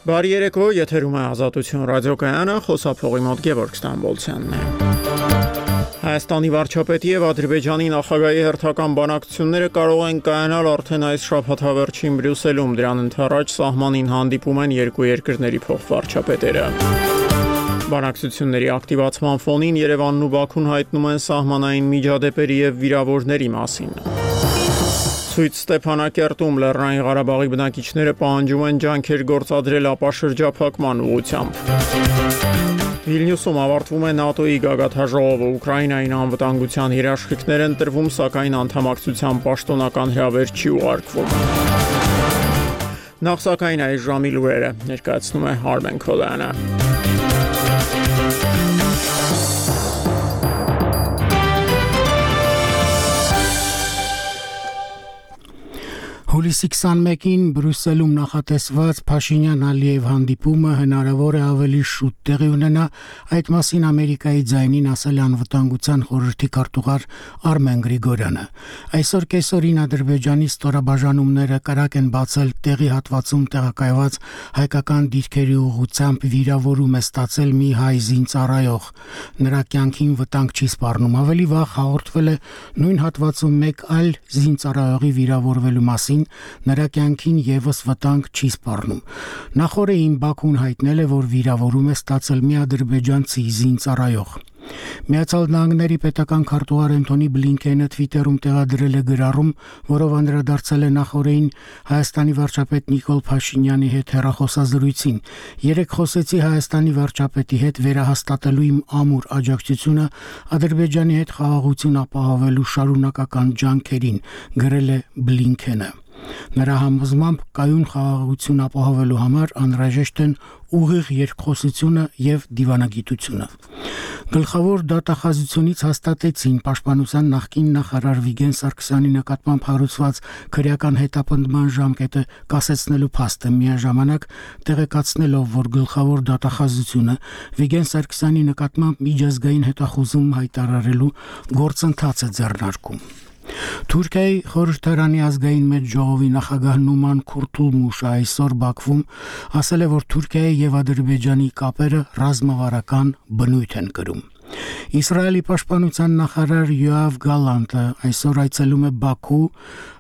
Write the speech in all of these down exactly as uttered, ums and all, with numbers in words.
Բարի երեկո, եթերում է Ազատություն ռադիոկայանը, խոսափողի մոտ Գևորգ Ստամբոլցյանն է։ Հայաստանի վարչապետի եւ Ադրբեջանի նախագահի հերթական բանակցությունները կարող են կայանալ արդեն այս շաբաթավերջին Բրյուսելում, դրան ընդառաջ սահմանին հանդիպում են երկու երկրների փոխվարչապետերը։ Բանակցությունների ակտիվացման ֆոնին Երևանն ու Բաքուն հայտնում են սահմանային միջադեպերի եւ վիրավորների մասին։ Ցույց Ստեփանակերտում Լեռնային Ղարաբաղի բնակիչները պահանջում են ջանքեր գործադրել ապաշրջափակման ուղղությամբ։ Վիլնյուսում ավարտվում է ՆԱՏՕ-ի գագաթաժողովը, Ուկրաինային անվտանգության երաշխիքներ են տրվում, սակայն անդամակցության պաշտոնական հրավեր չի ուղարկվում։ Նախ սակայն այս ժամի լուրերը ներկայացնում է Արմեն Քոլյանը։ Հուլիսի քսանմեկին Բրյուսելում նախատեսված Փաշինյան-Ալիև հանդիպումը հնարավոր է ավելի շուտ տեղի ունենա, այդ մասին Ամերիկայի ձայնին ասել է անվտանգության խորհրդի քարտուղար Արմեն Գրիգորյանը։ Այսօր կեսօրին Ադրբեջանի ստորաբաժանումները կրակ են բացել տեղի հատվածում տեղակայված հայկական դիրքերի ուղղությամբ վիրավորում է ստացել մի հայ զինծառայող։ Նրա կյանքին վտանգ չի սպառնում։ Ավելի վաղ հաղորդվել է նույն հատվածում մեկ այլ զինծառայողի վիրավորվելու մասին, նրա կյանքին եւս վտանգ չի սպառնում։ Նախորդին Բաքուն հայտնել է, որ վիրավորում է ստացել մի ադրբեջանցի զինծառայող։ Միացյալ Նահանգների պետական քարտուղար Անթոնի Բլինքենը Twitter-ում տեղադրել է գրառում, որով անդրադարձել է նախորդին Հայաստանի վարչապետ Նիկոլ Փաշինյանի հետ հեռախոսազրույցին։ Երեք խոսեցի Հայաստանի վարչապետի հետ վերահաստատելու իմ ամուր աջակցությունը Ադրբեջանի հետ խաղաղություն ապահովելու շարունակական ջանքերին, գրել է Բլինքենը։ Նրա համոզմամբ կայուն խաղաղություն ապահովելու համար անհրաժեշտ են ուղիղ երկխոսությունը եւ դիվանագիտությունը։ Գլխավոր դատախազությունից հաստատեցին Պաշտպանության նախկին նախարար Վիգեն Սարգսյանի նկատմամբ հարուցված քրեական հետապնդման ժամկետը կասեցնելու փաստը, միաժամանակ տեղեկացնելով, որ գլխավոր դատախազությունը Վիգեն Սարգսյանի նկատմամբ միջազգային հետախուզում հայտարարելու գործընթաց է ձեռնարկում։ Թուրքիայի խորհրդարանի ազգային մեծ ժողովի նախագահ Նուման Քուրթուլմուշը այսօր Բաքվում ասել է, որ Թուրքիայի եւ Ադրբեջանի կապերը ռազմավարական բնույթ են կրում։ Իսրայելի պաշտպանության նախարար Յոավ Գալանտը այսօր այցելում է Բաքու,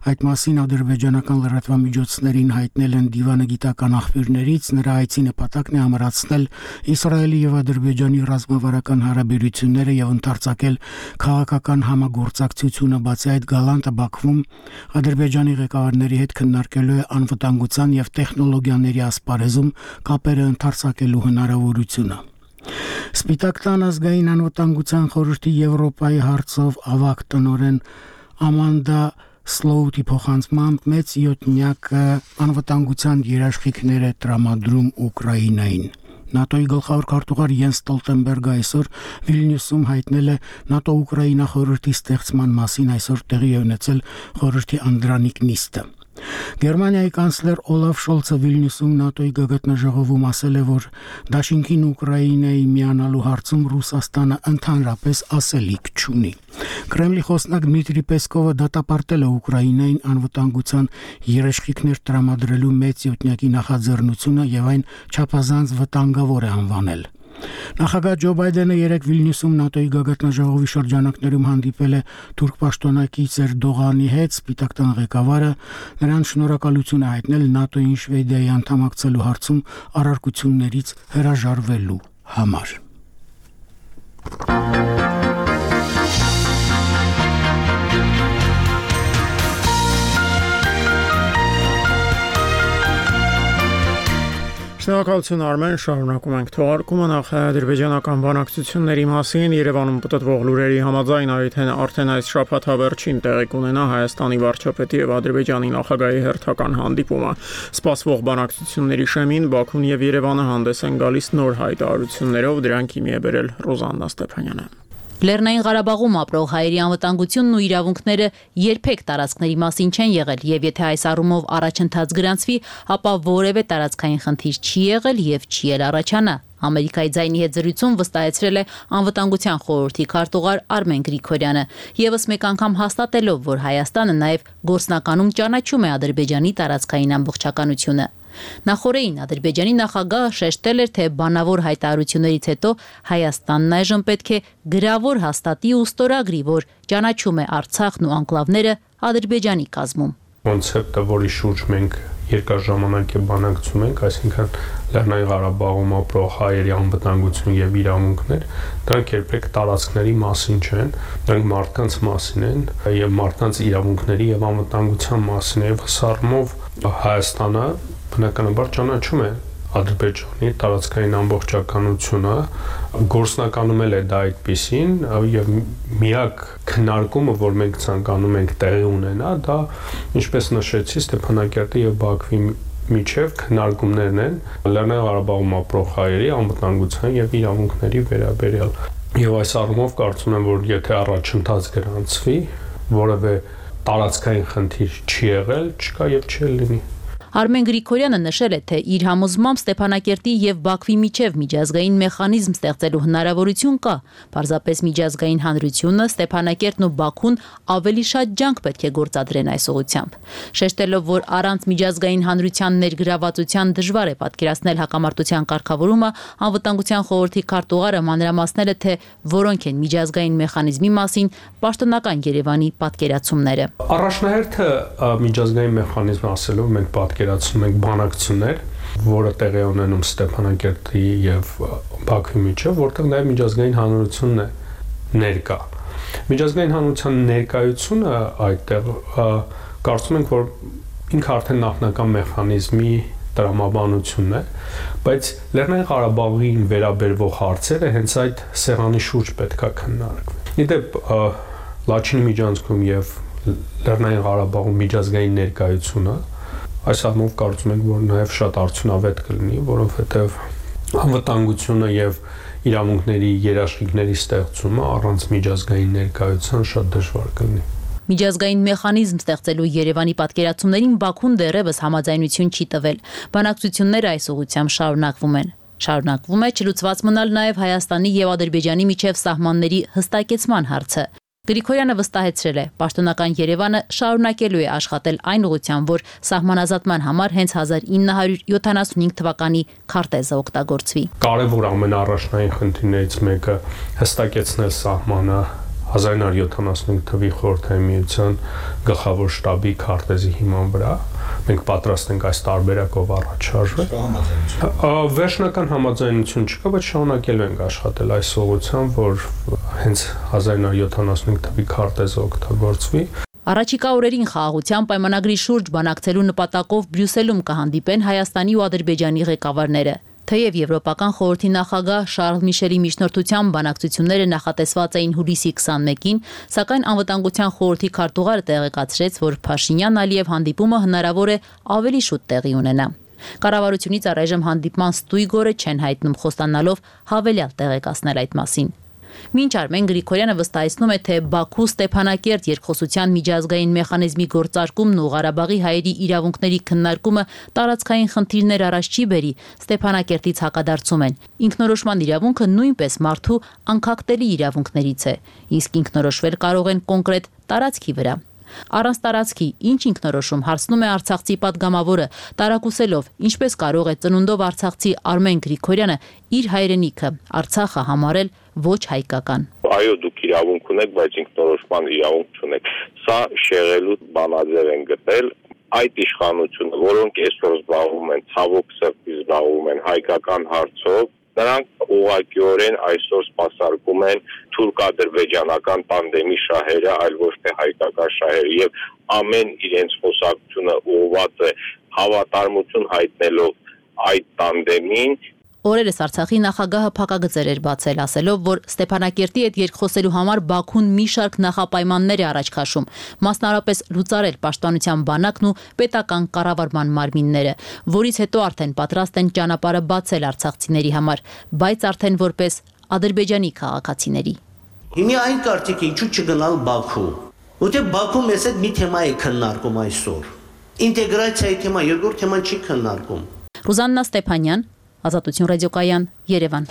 այդ մասին ադրբեջանական լրատվամիջոցներին հայտնել են դիվանագիտական աղբյուրներից, նրա այցի նպատակն է ամրացնել Իսրայելի եւ Ադրբեջանի ռազմավարական հարաբերությունները եւ ընդարձակել քաղաքական համագործակցությունը, բացի այդ Գալանտը Բաքվում Ադրբեջանի ղեկավարների հետ քննարկելու է անվտանգության եւ տեխնոլոգիաների ասպարեզում կապերը ընդարձակելու հնարավորությունը։ Սպիտակ տան ազգային անվտանգության խորհրդի Եվրոպայի հարցով ավագ տնօրեն Ամանդա Սլոուտի փոխանցմամբ մեծ յոթնյակը անվտանգության երաշխիքներ է տրամադրում Ուկրաինային։ ՆԱՏՕ-ի գլխավոր քարտուղար Յենս Ստոլտենբերգը այսօր Վիլնյուսում հայտնել է ՆԱՏՕ-Ուկրաինա խորհրդի ստեղծման մասին այսօր տեղի է ունեցել խորհրդի անդրանիկ նիստը։ Գերմանիայի կանցլեր Օլաֆ Շոլցը Վիլնյուսում ՆԱՏՕ-ի գագաթնաժողովում ասել է, որ դաշինքին Ուկրաինայի միանալու հարցում Ռուսաստանը ընդհանրապես ասելիք չունի։ Կրեմլի խոսնակ Դմիտրի Պեսկովը դատապարտել է Ուկրաինային անվտանգության երաշխիքներ տրամադրելու մեծ յոթնյակի նախաձեռնությունը եւ այն չափազանց վտանգավոր է անվանել։ Նախագահ Ջո Բայդենը երեկ Վիլնյուսում ՆԱՏՕ-ի գագաթնաժողովի շրջանակներում հանդիպել է թուրք պաշտոնակից Էրդողանի հետ, Սպիտակ տան ղեկավարը նրան շնորհակալություն է հայտնել ՆԱՏՕ-ին Շվեդիայի անդամակցելու հարցում առարկություններից հրաժարվելու համար։ Շնորհակալություն Արմեն, շարունակում ենք թողարկումը նախ ադրբեջանական բանակցությունների մասին Երևանում պատտվող լուրերի համաձայն արդեն այս շաբաթավերջին տեղի կունենա Հայաստանի վարչապետի եւ Ադրբեջանի նախագահի հերթական հանդիպումը։ Սպասվող բանակցությունների շեմին Բաքուն եւ Երևանը հանդես են գալիս նոր հայտարարություններով, դրանք հիմի է բերել Ռոզաննա Ստեփանյանը։ Լեռնային Ղարաբաղում ապրող հայերի անվտանգությունն ու իրավունքները երբեք տարածքների մասին չեն եղել, եւ եթե այս առումով առաջընթաց գրանցվի, ապա որևէ տարածքային խնդիր չի եղել եւ չի էլ առաջանա։ Ամերիկայի ձայնի հետ զրույցում վստահեցրել է անվտանգության խորհրդի քարտուղար Արմեն Գրիգորյանը, եւս մեկ անգամ հաստատելով, որ Հայաստանը նաեւ գործնականում ճանաչում է Ադրբեջանի տարածքային ամբողջականությունը։ Նախորդին Ադրբեջանի նախագահը շեշտել էր, թե բանավոր հայտարարություններից հետո Հայաստանն այժմ պետք է գրավոր հաստատի ու ստորագրի, որ ճանաչում է Արցախն ու անկլավները Ադրբեջանի կազմում։ Կոնցեպտը, որի շուրջ մենք երկար ժամանակ է բանակցում ենք, այսինքն Լեռնային Ղարաբաղում ապրող հայերի անվտանգություն եւ իրավունքներ, դրանք երբեք տարածքների մասին չեն, դրանք մարդկանց մասին են եւ մարդկանց իրավունքների եւ անվտանգության մասին է, եւ հսարմով Հայաստանը բնականաբար ճանաչում է Ադրբեջանի տարածքային ամբողջականությունը, գործնականում է դա այդպեսին եւ միակ քննարկումը, որ մենք ցանկանում ենք տեղի ունենա, դա ինչպես նշեցի Ստեփանակերտի եւ Բաքվի միջև քննարկումներն են Լեռնային Ղարաբաղում ապրող հայերի անվտանգության եւ իրավունքների վերաբերյալ։ Եվ այս առումով կարծում եմ, որ եթե առաջընթաց գրանցվի, որևէ տարածքային խնդիր չի եղել, չկա եւ չի լինի։ Արմեն Գրիգորյանը նշել է, թե իր համոզմամբ Ստեփանակերտի եւ Բաքվի միջև միջազգային մեխանիզմ ստեղծելու հնարավորություն կա, պարզապես միջազգային հանրությունը, Ստեփանակերտն ու Բաքուն ավելի շատ ջանք պետք է գործադրեն այս ուղղությամբ։ Շեշտելով, որ առանց միջազգային հանրության ներգրավվածության դժվար է պատկերացնել հակամարտության կարգավորումը, Անվտանգության խորհրդի քարտուղարը մանրամասնել է, թե որոնք են միջազգային մեխանիզմի մասին պաշտոնական Երևանի պատկերացումները։ Առաջնահերթը միջազգային մեխանիզմ ասելով մենք պատկերացնում ենք բանակցություններ, որը տեղի ունենում Ստեփանակերտի եւ Բաքվի միջեւ, որտեղ նաեւ միջազգային հանրությունն է ներկա։ Միջազգային հանրության ներկայությունը այդտեղ կարծում ենք, որ ինքը արդեն նախնական մեխանիզմի տրամաբանությունն է, բայց Լեռնային Ղարաբաղին վերաբերվող հարցերը հենց այդ սեղանի շուրջ պետքա քննարկվեն։ Իդեպ Լաչինի միջանցքում եւ Լեռնային Ղարաբաղում միջազգային ներկայությունը այս առումով կարծում ենք, որ նաև շատ արդյունավետ կլինի, որովհետև անվտանգությունը եւ իրավունքների երաշխիքների ստեղծումը առանց միջազգային ներկայության շատ դժվար կլինի։ Միջազգային մեխանիզմ ստեղծելու Երևանի պատկերացումներին Բաքուն դեռևս համաձայնություն չի տվել։ Բանակցությունները այս ուղղությամբ շարունակվում են։ Շարունակվում է չլուծված մնալ նաև Հայաստանի եւ Ադրբեջանի միջև սահմանների հստակեցման հարցը։ Գրիգորյանը վստահեցրել է, պաշտոնական Երևանը շարունակելու է աշխատել այն ուղղությամբ, որ սահմանազատման համար հենց հազար ինը հարյուր յոթանասունհինգ թվականի քարտեզը օգտագործվի։ Կարևոր ամենաառաջնային խնդիրներից մեկը հստակեցնել սահմանը հազար ինը հարյուր յոթանասունհինգ թվականի Խորհրդային Միության գլխավոր շտաբի քարտեզի հիման վրա։ Մենք պատրաստ ենք այս տարբերակով առաջ շարժվել։ Վերջնական համաձայնություն չկա, բայց շարունակելու ենք աշխատել այս ուղղությամբ, որ հենց հազար ինը հարյուր յոթանասունհինգ թվականի քարտեզը օգտագործվի։ Առաջիկա օրերին խաղաղության պայմանագրի շուրջ բանակցելու նպատակով Բրյուսելում կհանդիպեն Հայաստանի ու Ադրբեջանի ղեկավարները։ Թեև Եվրոպական խորհրդի նախագահ Շարլ Միշելի միջնորդությամբ բանակցությունները նախատեսված էին հուլիսի քսանմեկին, սակայն Անվտանգության խորհրդի քարտուղարը տեղեկացրեց, որ Փաշինյան-Ալիև հանդիպումը հնարավոր է ավելի շուտ տեղի ունենա։ Կառավարությունից առայժմ հանդիպման ստույգ օրը չեն հայտնում, խոստանալով հավելյալ տեղեկացնել այդ մասին։ Մինչ Արմեն Գրիգորյանը վստահեցնում է, թե Բաքու-Ստեփանակերտ երկխոսության միջազգային մեխանիզմի գործարկումն ու Ղարաբաղի հայերի իրավունքների քննարկումը տարածքային խնդիրներ առաջ չի բերի, Ստեփանակերտից հակադարձում են։ Ինքնորոշման իրավունքը նույնպես մարդու անկախտելի իրավունքներից է, իսկ ինքնորոշվել կարող են կոնկրետ տարածքի վրա։ Առանց տարածքի ինչ ինքնորոշում հարցնում է արցախցի падգամավորը, տարակուսելով, ինչպես կարող է ծնունդով արցախցի Արմեն Գրիգորյանը իր հայրենիքը Արցախը համարել ոչ հայկական։ Այո, դուք իրավունք ունեք, բայց ինքնորոշման իրավունք չունեք։ Սա շեղելու բանաձև են գտել այդ իշխանությունը, որոնք այսօր զբաղվում են, ցավոք սրտի զբաղվում են հայկական հարցով, նրանք ուղղակիորեն այսօր սպասարկում են թուրք-ադրբեջանական տանդեմի շահերը, այլ ոչ թե հայկական շահերը, եւ ամեն իրենց խոսակցությունը ուղղված է հավատարմություն հայտնելով այդ տանդեմին։ Օրերս Արցախի նախագահը փակագծեր էր բացել, ասելով, որ Ստեփանակերտի հետ երկխոսելու համար Բաքուն մի շարք նախապայմաններ է առաջ քաշում, մասնարարպես լուծարել պաշտպանության բանակն ու պետական կառավարման մարմինները, որից հետո արդեն պատրաստ են ճանապարհը բացել արցախցիների համար, բայց արդեն որպես Ադրբեջանի քաղաքացիների։ Հիմա այն կարծիքի ինչու չգնալ Բաքու։ Որտեղ Բաքու մեզ հետ մի թեմա է քննարկում այսօր։ Ինտեգրացիայի թեմա, երկրորդ թեման չի քննարկում։ Ռուզաննա Ստեփանյան, Ազատություն ռադիոկայան, Երևան։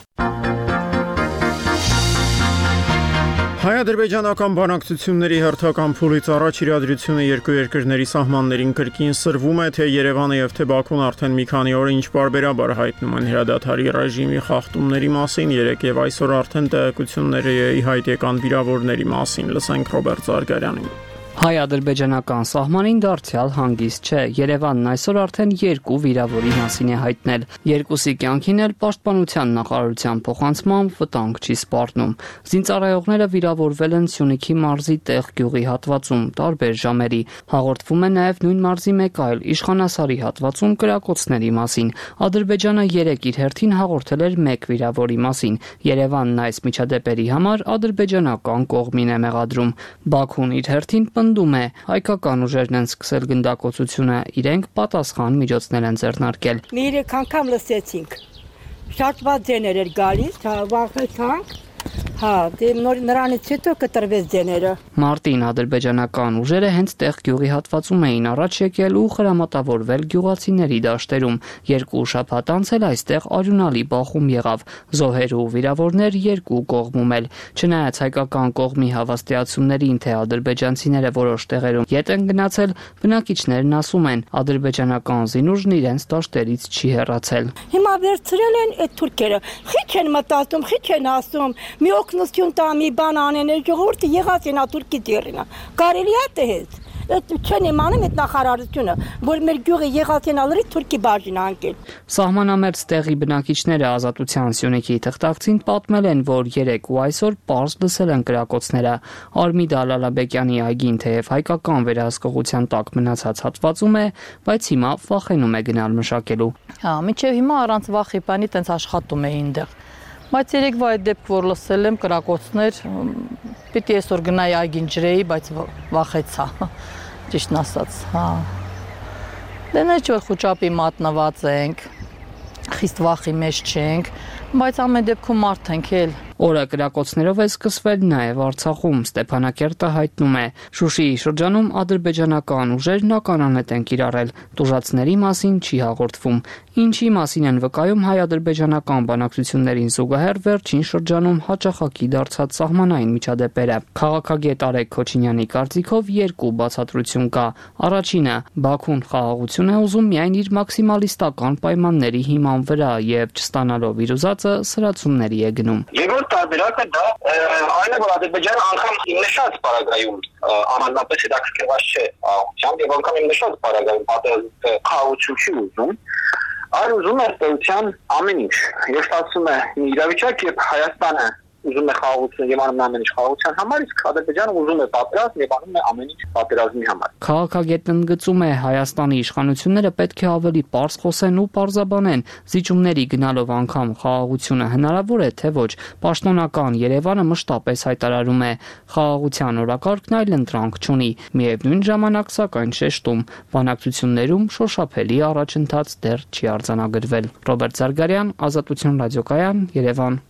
Հայ-ադրբեջանական բանակցությունների հերթական փուլից առաջ իրադրությունը երկու երկրների սահմաններին կրկին սրվում է, թե Երևանը եւ թե Բաքուն արդեն մի քանի օր ինչ բարբերաբար հայտնում են հրադադարի ռեժիմի խախտումների մասին, երեք եւ այսօր արդեն տեղեկություններ ի հայտ եկան վիրավորների մասին, լսենք Ռոբերտ Զարգարյանին։ Հայ-ադրբեջանական սահմանին դարձյալ հանգիստ չէ։ Երևանն այսօր արդեն երկու վիրավորի մասին է հայտնել։ Երկուսի կյանքին էլ պաշտպանության նախարարության փոխանցմամբ վտանգ չի սպառնում։ Զինծառայողները վիրավորվել են Սյունիքի մարզի Տեղ գյուղի հատվածում տարբեր ժամերի։ Հաղորդվում է նաև նույն մարզի մեկ այլ Իշխանասարի հատվածում կրակոցների մասին։ Ադրբեջանը երեք իր հերթին հաղորդել էր մեկ վիրավորի մասին։ Երևանն այս միջադեպերի համար ադրբեջանական կողմին է մեղադրում։ Բաքուն իր հերթին պնդում է, հայկական ուժերն են սկսել գնդակոծությունը, իրենք պատասխան միջոցներ են ձեռնարկել։ Մի երեք անգամ լսեցինք։ Շատ վատ ձեներ էր գալիս, վախեցանք։ Հա, դե նրանից հետո կտրվեց ձեները։ Մարտին ադրբեջանական ուժերը հենց Տեղ գյուղի հատվածում էին առաջ եկել ու խրամատավորվել գյուղացիների դաշտերում։ Երկու շաբաթ անց էլ այստեղ արյունալի բախում եղավ։ Զոհեր ու վիրավորներ երկու կողմում էլ։ Չնայած հայկական կողմի հավաստիացումներին, թե ադրբեջանցիները որոշ տեղերում ետ են գնացել, բնակիչներն ասում են, ադրբեջանական զինուժն իրենց դաշտերից չի հեռացել։ Հիմա վերցրել են այդ թուրքերը։ Խիչ են մտածում, խիչ են ասում։ Մի օգնություն տա, մի բան անեն, ժողովուրդը եղած են աթուրքի դերինա։ Կարելի է տես։ Այդ չեն իմանում այդ նախարարությունը, որ մեր գյուղը եղած են ալրի թուրքի բաժին անկել։ Սահմանամերձ տեղի բնակիչները Ազատության Սյունիքի թղթակցին պատմել են, որ երեք ու այսօր պարզ լսել են կրակոցները։ Արմիդա Լալաբեկյանի այգին թեև հայկական վերահսկողության տակ մնացած հատվածում է, բայց հիմա վախենում է գնալ մշակելու։ Հա, մինչև հիմա առանց վախի բանի տենց աշխատում էին այնտեղ։ Բայց երեկվա այդ դեպք, որ լսել եմ կրակոցներ, պիտի այսօր գնայի այգին ջրեի, բայց վախեցա, ճիշտն ասած, հա։ Դե նե չէ խուճապի մատնված ենք, խիստ վախի մեջ չենք, բայց ամեն դեպքում մարդ ենք էլ։ Օրը կրակոցներով է սկսվել նաև Արցախում, Ստեփանակերտը հայտնում է։ Շուշիի շրջանում ադրբեջանական ուժերն ականանետ են կիրառել, տուժածների մասին չի հաղորդվում։ Ինչի մասին են վկայում հայ-ադրբեջանական բանակցություններին զուգահեռ վերջին շրջանում հաճախակի դարձած սահմանային միջադեպերը։ Քաղաքագետ Արեգ Քոչինյանի կարծիքով երկու բացատրություն կա։ Առաջինը, Բաքուն խաղաղություն է ուզում միայն իր մաքսիմալիստական պայմանների հիման վրա եւ չստանալով իր ուզածը սրացումների է գնում։ Տարբերակը դա այն է, որ Ադրբեջանը անգամ նշած պարագայում անհանրապես հետաքրքրված չէ աղությամբ եւ անգամ նշած պարագայում պատերազմը խաղաղություն չի ուզում, այլ ուզում է ստեղծության ամեն ինչ։ Ես ասում եմ, մի իրավիճակ, երբ Հայաստանը ուզում է խաղաղություն եւ անում ամեն ինչ խաղաղության համար, իսկ Ադրբեջանը ուզում է պատերազմ եւ անում է ամեն ինչ պատերազմի համար։ Քաղաքագետն ընդգծում է, Հայաստանի իշխանությունները պետք է ավելի պարզ խոսեն ու պարզաբանեն, զիջումների գնալով անգամ խաղաղությունը հնարավոր է, թե ոչ։ Պաշտոնական Երևանը մշտապես հայտարարում է, խաղաղության օրակարգն այլ ընտրանք չունի։ Միևնույն ժամանակ, սակայն շեշտում, բանակցություններում շոշափելի առաջընթաց դեռ չի արձանագրվել։ Ռոբերտ Զարգարյան, Ազատություն ռադիոկայան, Երևան։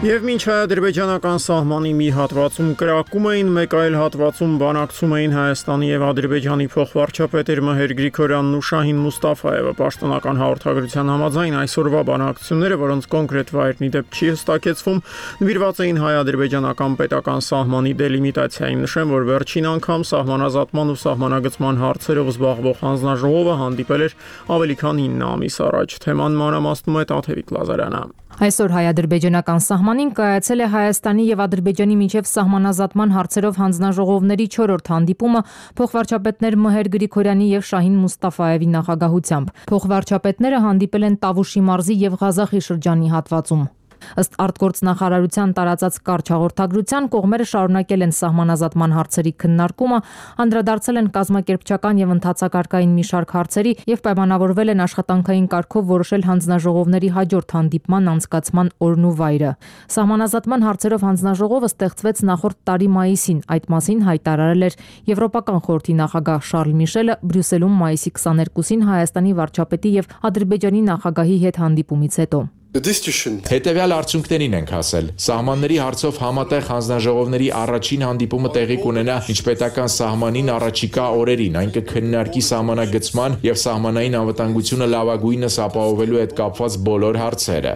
Եվ մինչ հայ-ադրբեջանական սահմանի մի հատվածում կրակում էին, մեկ այլ հատվածում բանակցում էին Հայաստանի եւ Ադրբեջանի փոխվարչապետեր Մհեր Գրիգորյանն ու Շահին Մուստաֆայևը։ Պաշտոնական հաղորդագրության համաձայն այսօրվա բանակցությունները, որոնց կոնկրետ վայրն ի դեպ չի հստակեցվում, նվիրված էին հայ-ադրբեջանական պետական սահմանի դելիմիտացիային։ Նշեմ, որ վերջին անգամ սահմանազատման ու սահմանագծման հարցերով զբաղվող հանձնաժողովը հանդիպել էր ավելի քան ինը ամիս առաջ։ Թեման մանրամասնում է Տաթևիկ Լազարյանը։ Այսօր հայ-ադրբեջանական սահմանին կայացել է Հայաստանի եւ Ադրբեջանի միջև սահմանազատման հարցերով հանձնաժողովների չորրորդ հանդիպումը փոխվարչապետներ Մհեր Գրիգորյանի եւ Շահին Մուստաֆայևի նախագահությամբ։ Փոխվարչապետները հանդիպել են Տավուշի մարզի եւ Ղազախի շրջանի հատվածում։ Ըստ արտգործնախարարության տարածած կարճ հաղորդագրության, կողմերը շարունակել են սահմանազատման հարցերի քննարկումը, անդրադարձել են կազմակերպչական եւ ընթացակարգային մի շարք հարցերի եւ պայմանավորվել են աշխատանքային կարգով որոշել հանձնաժողովների հաջորդ հանդիպման անցկացման օրն ու վայրը։ Սահմանազատման հարցերով հանձնաժողովը ստեղծվեց նախորդ տարի մայիսին, այդ մասին հայտարարել էր Եվրոպական խորհրդի նախագահ Շարլ Միշելը Բրյուսելում մայիսի քսաներկուսին Հայաստանի վարչապետի եւ Ադրբեջանի նախագահի հետ հանդիպումից հետո։ Հետևյալ արդյունքներին ենք հասել։ Սահմանների հարցով համատեղ հանձնաժողովների առաջին հանդիպումը տեղի կունենա միջպետական սահմանին առաջիկա օրերին, այն կքննարկի սահմանագծման եւ սահմանային անվտանգությունը լավագույնս ապահովելու հետ կապված բոլոր հարցերը։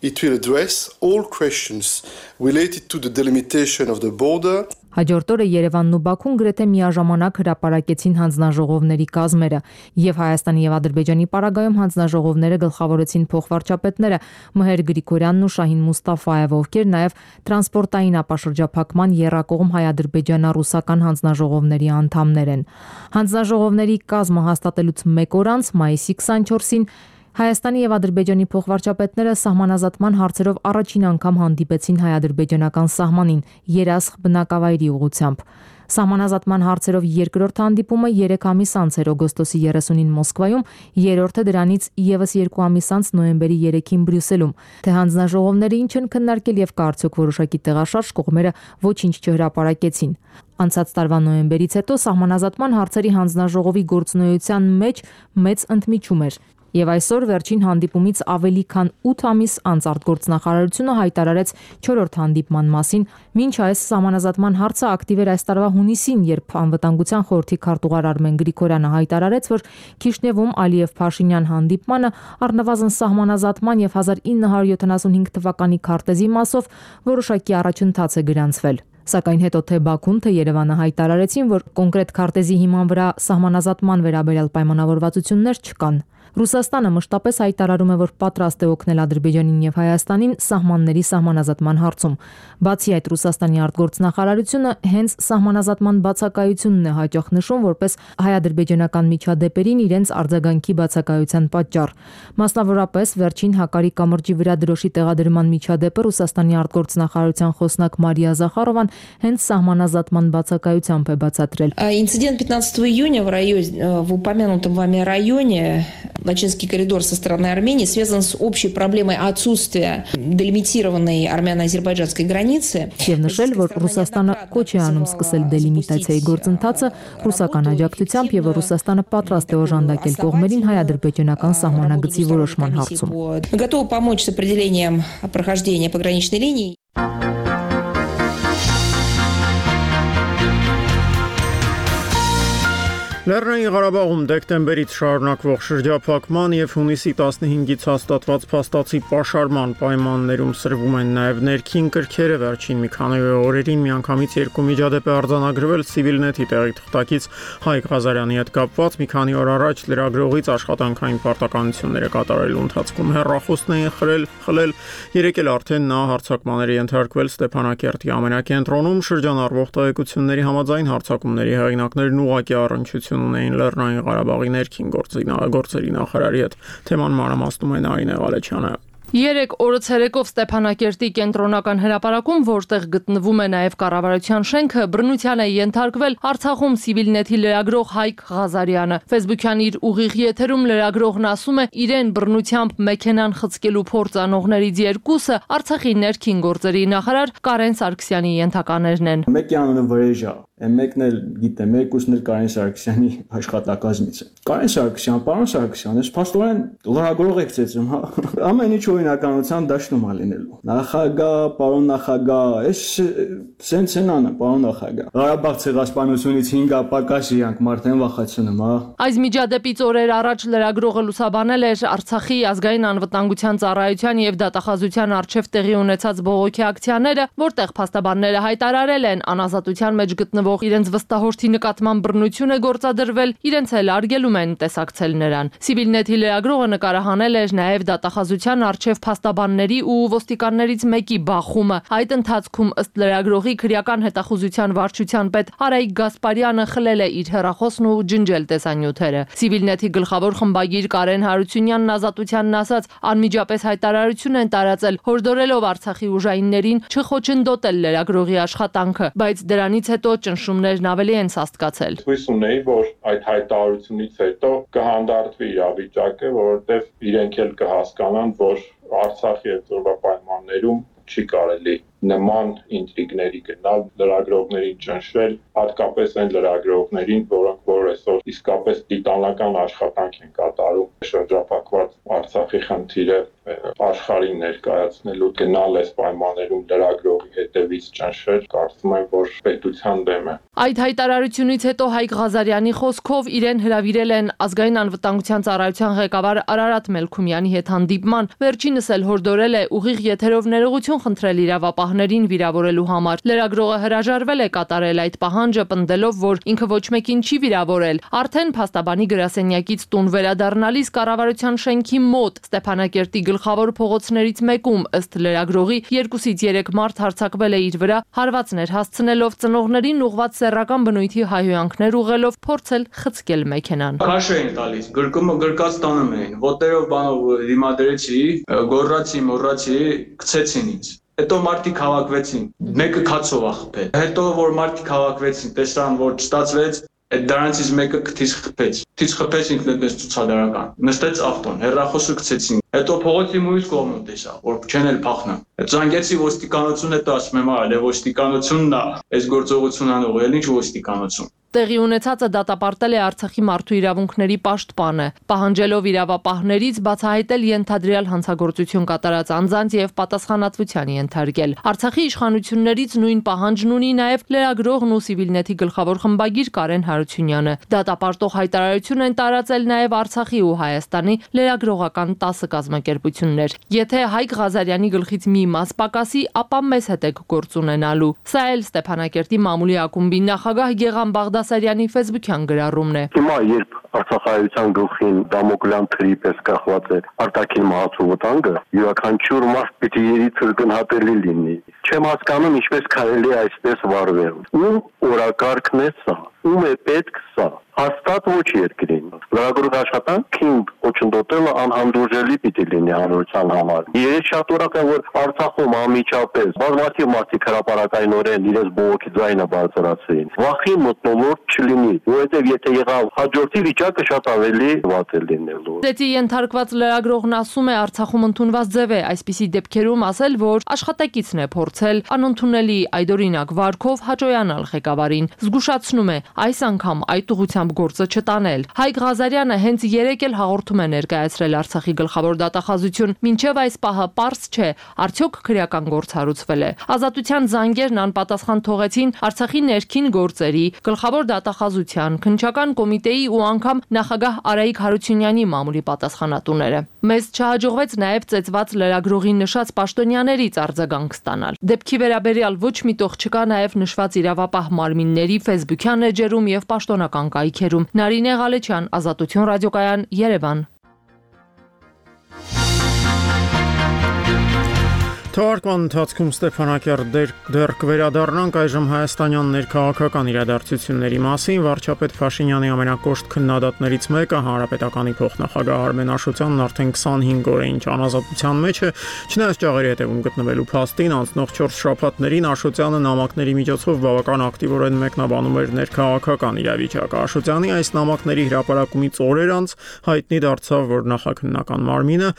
It will address all questions related to the delimitation of the border. Հաջորդ օրը Երևանն ու Բաքուն գրեթե միաժամանակ հրապարակեցին հանձնաժողովների կազմերը, եւ Հայաստանի եւ Ադրբեջանի պարագայում հանձնաժողովները գլխավորեցին փոխվարչապետները Մհեր Գրիգորյանն ու Շահին Մուստաֆաևը, ովքեր նաեւ տրանսպորտային ապաշրջափակման եռակողմ հայ-ադրբեջանա-ռուսական հանձնաժողովների անդամներ են։ Հանձնաժողովների կազմը հաստատելուց մեկ օր անց, մայիսի քսանչորսին, Հայաստանի եւ Ադրբեջանի փոխվարչապետները սահմանազատման հարցերով առաջին անգամ հանդիպեցին հայ-ադրբեջանական սահմանին երասխ բնակավայրի ուղղությամբ։ Սահմանազատման հարցերով երկրորդ հանդիպումը երեք ամիս անց էր օգոստոսի երեսունին Մոսկվայում, երրորդը դրանից եւս երկու ամիս անց նոյեմբերի երեքին Բրյուսելում։ Թե հանձնաժողովները ինչ են քննարկել եւ կա արդյոք որոշակի տեղաշարժ, կողմերը ոչինչ չհրապարակեցին։ Անցած տարվա նոյեմբերից հետո սահմանազատման հարցերի հանձնաժողովի գործունեության մեջ մեծ ընդմիջում էր։ Եվ այսօր վերջին հանդիպումից ավելի քան ութ ամիս անց արտգործնախարարությունը հայտարարեց չորրորդ հանդիպման մասին, մինչ այս սահմանազատման հարցը ակտիվ էր այս տարվա հունիսին, երբ անվտանգության խորհրդի քարտուղար Արմեն Գրիգորյանը հայտարարեց, որ Քիշնևում Ալիև-Փաշինյան հանդիպմանը առնվազն սահմանազատման եւ հազար ինը հարյուր յոթանասունհինգ թվականի քարտեզի մասով որոշակի առաջընթաց է գրանցվել։ Սակայն հետո թե Բաքուն, թե Երևանը հայտարարեցին, որ կոնկրետ քարտեզի հիման վրա սահմանազատման վերաբերյալ պայմանավորվածություններ չկան։ Ռուսաստանը մշտապես հայտարարում է, որ պատրաստ է օգնել Ադրբեջանին եւ Հայաստանին սահմանների սահմանազատման հարցում։ Բացի այդ, Ռուսաստանի արտգործնախարարությունը հենց սահմանազատման բացակայությունն է հաճախ նշում որպես հայ-ադրբեջանական միջադեպերին իրենց արձագանքի բացակայության պատճառ։ Մասնավորապես, վերջին Հակարի կամրջի վրա դրոշի տեղադրման միջադեպը Ռուսաստանի արտգործնախարարության խոսնակ Մարիա Զախարովան հենց սահմանազատման բացակայությամբ է բացատրել։ Инцидент пятнадцатого июня в районе, в упомянутом вами районе, Лачинский коридор со стороны Армении связан с общей проблемой отсутствия делимитированной армяно-азербайджанской границы. Եվ նշել, որ Ռուսաստանը կոչ է անում սկսել դելիմիտացիայի գործընթացը ռուսական աջակցությամբ եւ որ Ռուսաստանը պատրաստ է օժանդակել կողմերին հայ-ադրբեջանական սահմանագծի որոշման հարցում։ Готовы помочь с определением прохождения пограничной линии. Լեռնային Ղարաբաղում դեկտեմբերից շարունակվող շրջափակման եւ հունիսի տասնհինգից հաստատված փաստացի պաշարման պայմաններում սրվում են նաեւ ներքին կրքերը։ Վերջին մի քանի օրերին միանգամից երկու միջադեպ է արձանագրվել Civilnet-ի տեղի թղթակից Հայկ Ղազարյանի հետ կապված։ Մի քանի օր առաջ լրագրողից աշխատանքային պարտականություններ է կատարելու ընթացքում հեռախոսն էին խրել, խլել։ Երեկ էլ արդեն նա հարձակմանների ենթարկվել Ստեփանակերտի ամենակենտրոնում շրջանառվող տեղեկությունների համաձայն հարձակումների հեղինակներն ուղղակի առնչություն ունեին Լեռնային Ղարաբաղի ներքին գործերի նախարարի հետ։ Թեման մանրամասնում է Նարինե Ղալեչյանը։ Երեք օրը ցերեկով Ստեփանակերտի կենտրոնական հրապարակում, որտեղ գտնվում է նաև կառավարության շենքը, բռնության է ենթարկվել Արցախում Civilnet-ի լրագրող Հայկ Ղազարյանը։ Facebook-յան իր ուղիղ եթերում լրագրողն ասում է, իրեն բռնությամբ մեքենան խցկելու փորձ անողներից երկուսը Արցախի ներքին գործերի նախարար Կարեն Սարգսյանի ենթականերն են։ Մեկի անունը Վրեժա, մեկն էլ գիտեմ, երկուսն էլ Կարեն Սարգսյանի աշխատակազմից է։ Կարեն Սարգսյան, պարոն Սարգսյան, ես փաստորեն լրագրող եք ծեծում, հա։ Ամեն ինչ օրինականության դաշտում է լինելու։ Նախագահ, պարոն նախագահ, ես սենց են անը, պարոն նախագահ։ Ղարաբաղ ցեղասպանությունից հինգ ապակաս իրանք մարդեն վախեցնում, հա։ Այս միջադեպից օրեր առաջ լրագրողը լուսաբանել էր Արցախի ազգային անվտանգության ծառայության եւ դատախազության արչեւ տեղի ունեցած բողոքի ակցիաները, որտեղ փաստաբանները հայտարարել են անազատության մեջ գտնվող իրենց վստահորդի նկատմամբ բռնություն է գործադրվել, իրենց էլ արգելում են տեսակցել նրան։ Civilnet-ի լրագրողը նկարահանել էր նաև դատախազության արչև փաստաբանների ու ոստիկաններից մեկի բախումը։ Այդ ընթացքում ըստ լրագրողի քրեական հետախուզության վարչության պետ Արայիկ Գասպարյանը խլել է իր հեռախոսն ու ջնջել տեսանյութերը։ Civilnet-ի գլխավոր խմբագիր Կարեն Հարությունյանն ազատությանն ասաց, անմիջապես հայտարարություն են տարածել, հորդորելով Արցախի ուժայիններին չխոչընդոտել լրագրողի աշխատանքը, բայց դրանից հետո ճնշումներն ավելի են սաստկացել։ Հույս ունեի, որ այդ հայտարարությունից հետո կհանդարտվի իրավիճակը, որովհետև իրենք էլ կհասկանան, որ Արցախի այդ օրվա պայմաններում չի կարելի նման ինտրիգների գնալ, լրագրողներին ճնշել, հատկապես այն լրագրողներին, որոնք որ այսօր իսկապես տիտանական աշխատանք են կատարում շրջափակված Արցախի խնդիրը աշխարհին ներկայացնելու, գնալ այս պայմաններում լրագրողի հետևից ճնշել, կարծում եմ, որ պետության դեմ է։ Այդ հայտարարությունից հետո Հայկ Ղազարյանի խոսքով իրեն հրավիրել են ազգային անվտանգության ծառայության ղեկավար Արարատ Մելքումյանի հետ հանդիպման, վերջինս էլ հորդորել է ուղիղ եթերով ներողություն խնդրել իրավապահներին վիրավորելու համար։ Լրագրողը հրաժարվել է կատարել այդ պահանջը, պնդելով, որ ինքը ոչ մեկին չի վիրավորել։ Արդեն փաստաբանի գրասենյակից տուն վերադառնալիս կառավարության շենքի մոտ Ստեփանակերտի գլխավոր փողոցներից մեկում ըստ լրագրողի երկուսից երեք մարդ հարձակվել է իր վրա, հարվածներ հասցնելով, ծնողներին ուղղված սեռական բնույթի հայհոյանքներ ուղղելով փորձել խցկել մեքենան։ Քաշ էին տալիս, գրկումը գրկած տանում էին, ոտերով բանով դիմադրեցի, գոռացի, մոռացի, գցեցին ինձ։ Հետո մարդիկ հավաքվեցին, մեկը քացով ախփել։ Հետո որ մարդիկ հավաքվեցին, տեսան, որ չստացվեց, այդ դրանցից մեկը քթից խփեց։ Քթից խփեց ինքն այդպես ցուցադրական։ Նստեց ավտոն, հեռախոսը գցեցին։ Հետո փողոցի մյուս կողմում տեսա, որ չեն էլ փախնա։ Զանգեցի ոստիկանություն, հետո ասում եմ, այլ ոստիկանությունն է, այս գործողությունն անող, էլ ինչ ոստիկանություն։ Տեղի ունեցածը դատապարտել է Արցախի մարդու իրավունքների պաշտպանը, պահանջելով իրավապահներից բացահայտել ենթադրյալ հանցագործություն կատարած անձանց եւ պատասխանատվության ենթարկել։ Արցախի իշխանություններից նույն պահանջն ունի նաեւ լրագրողն ու Civilnet-ի գլխավոր խմբագիր Կարեն Հարությունյանը։ Դատապարտող հայտարարություն են տարածել նաեւ Արցախի ու Հայաստանի լրագրողական տասը կազմակերպություններ։ Եթե Հայկ Ղազարյանի գլխից մի մաս պակասի, ապա մեզ հետ եք գործ ունենալու։ Սա էլ Ստեփանակերտի մամուլի ակումբի նախագահ Գեգամ Բաղդասարյանի Facebook-յան գրառումն է։ Հիմա երբ Արցախայության գլխին դամոկլյան թրի պես կախված է արտաքին մահացու վտանգը, յուրաքանչյուր մարդ պիտի երի ցրկնհատելի լինի։ Չեմ հասկանում ինչպես կարելի է այսպես վարվել։ Ում օրակարգն է սա։ Ում է պետք սա։ Հաստատ ոչ երկրին։ Լրագրող աշխատանքին ոչնդոտելը անհանդուրժելի պիտի լինի հանրության համար։ Ես շատ ուրախ եմ, որ Արցախում անմիջապես բազմաթիվ մարդիկ հրապարակայնորեն իրենց բողոքի ձայնը բարձրացրին։ Վախի մթնոլորտ չլինի, որովհետև եթե եղավ հաջորդի վիճակը շատ ավելի վատ է լինելու։ Դեպի ենթարկված լրագրողն ասում է Արցախում ընդունված ձև է այսպիսի դեպքերում ասել, որ աշխատակիցն է փորձել անընդունելի այդօրինակ վարքով հաջողանալ ղեկավարին։ Զգուշացնում է այս անգամ այդ ուղղությամբ գործը չտանել։ Հայկ Ղազարյանը հենց երեկ էլ հաղորդում է ներկայացրել Արցախի գլխավոր դատախազություն, մինչև այս պահը պարզ չէ, արդյոք քրեական գործ հարուցվել է։ Ազատության զանգերն անպատասխան թողեցին Արցախի ներքին գործերի, գլխավոր դատախազության, քննչական կոմիտեի ու անգամ նախագահ Արայիկ Հարությունյանի մամուլի պատասխանատուները։ Մեզ չհաջողվեց նաև ծեծված լրագրողի նշած պաշտոնյաներից արձագանք ստանալ։ Դեպքի վերաբերյալ ոչ մի տող չկա նաև նշված իրավապահ մարմինների Facebook-յան էջերում եւ պաշտոնական կայքերում։ Նարինե Ղալեչյան, Ազատություն ռադիոկայան, Երևան։ Թվարկման ընթացքում Ստեփանակերտ դեռ կվերադառնանք այժմ հայաստանյան ներքաղաքական իրադարձությունների մասին։ Վարչապետ Փաշինյանի ամենակոշտ քննադատներից մեկը հանրապետականի փոխնախագահ Արմեն Աշոտյանն արդեն քսանհինգ օր է ինչ անազատության մեջ է, չնայած ճաղերի հետևում գտնվելու փաստին անցնող չորս շաբաթներին Աշոտյանը նամակների միջոցով բավական ակտիվորեն մեկնաբանում էր ներքաղաքական իրավիճակը։ Աշոտյանի այս նամակների հրապարակումից օրեր անց հայտնի դարձավ, որ նախաքննական մարմինը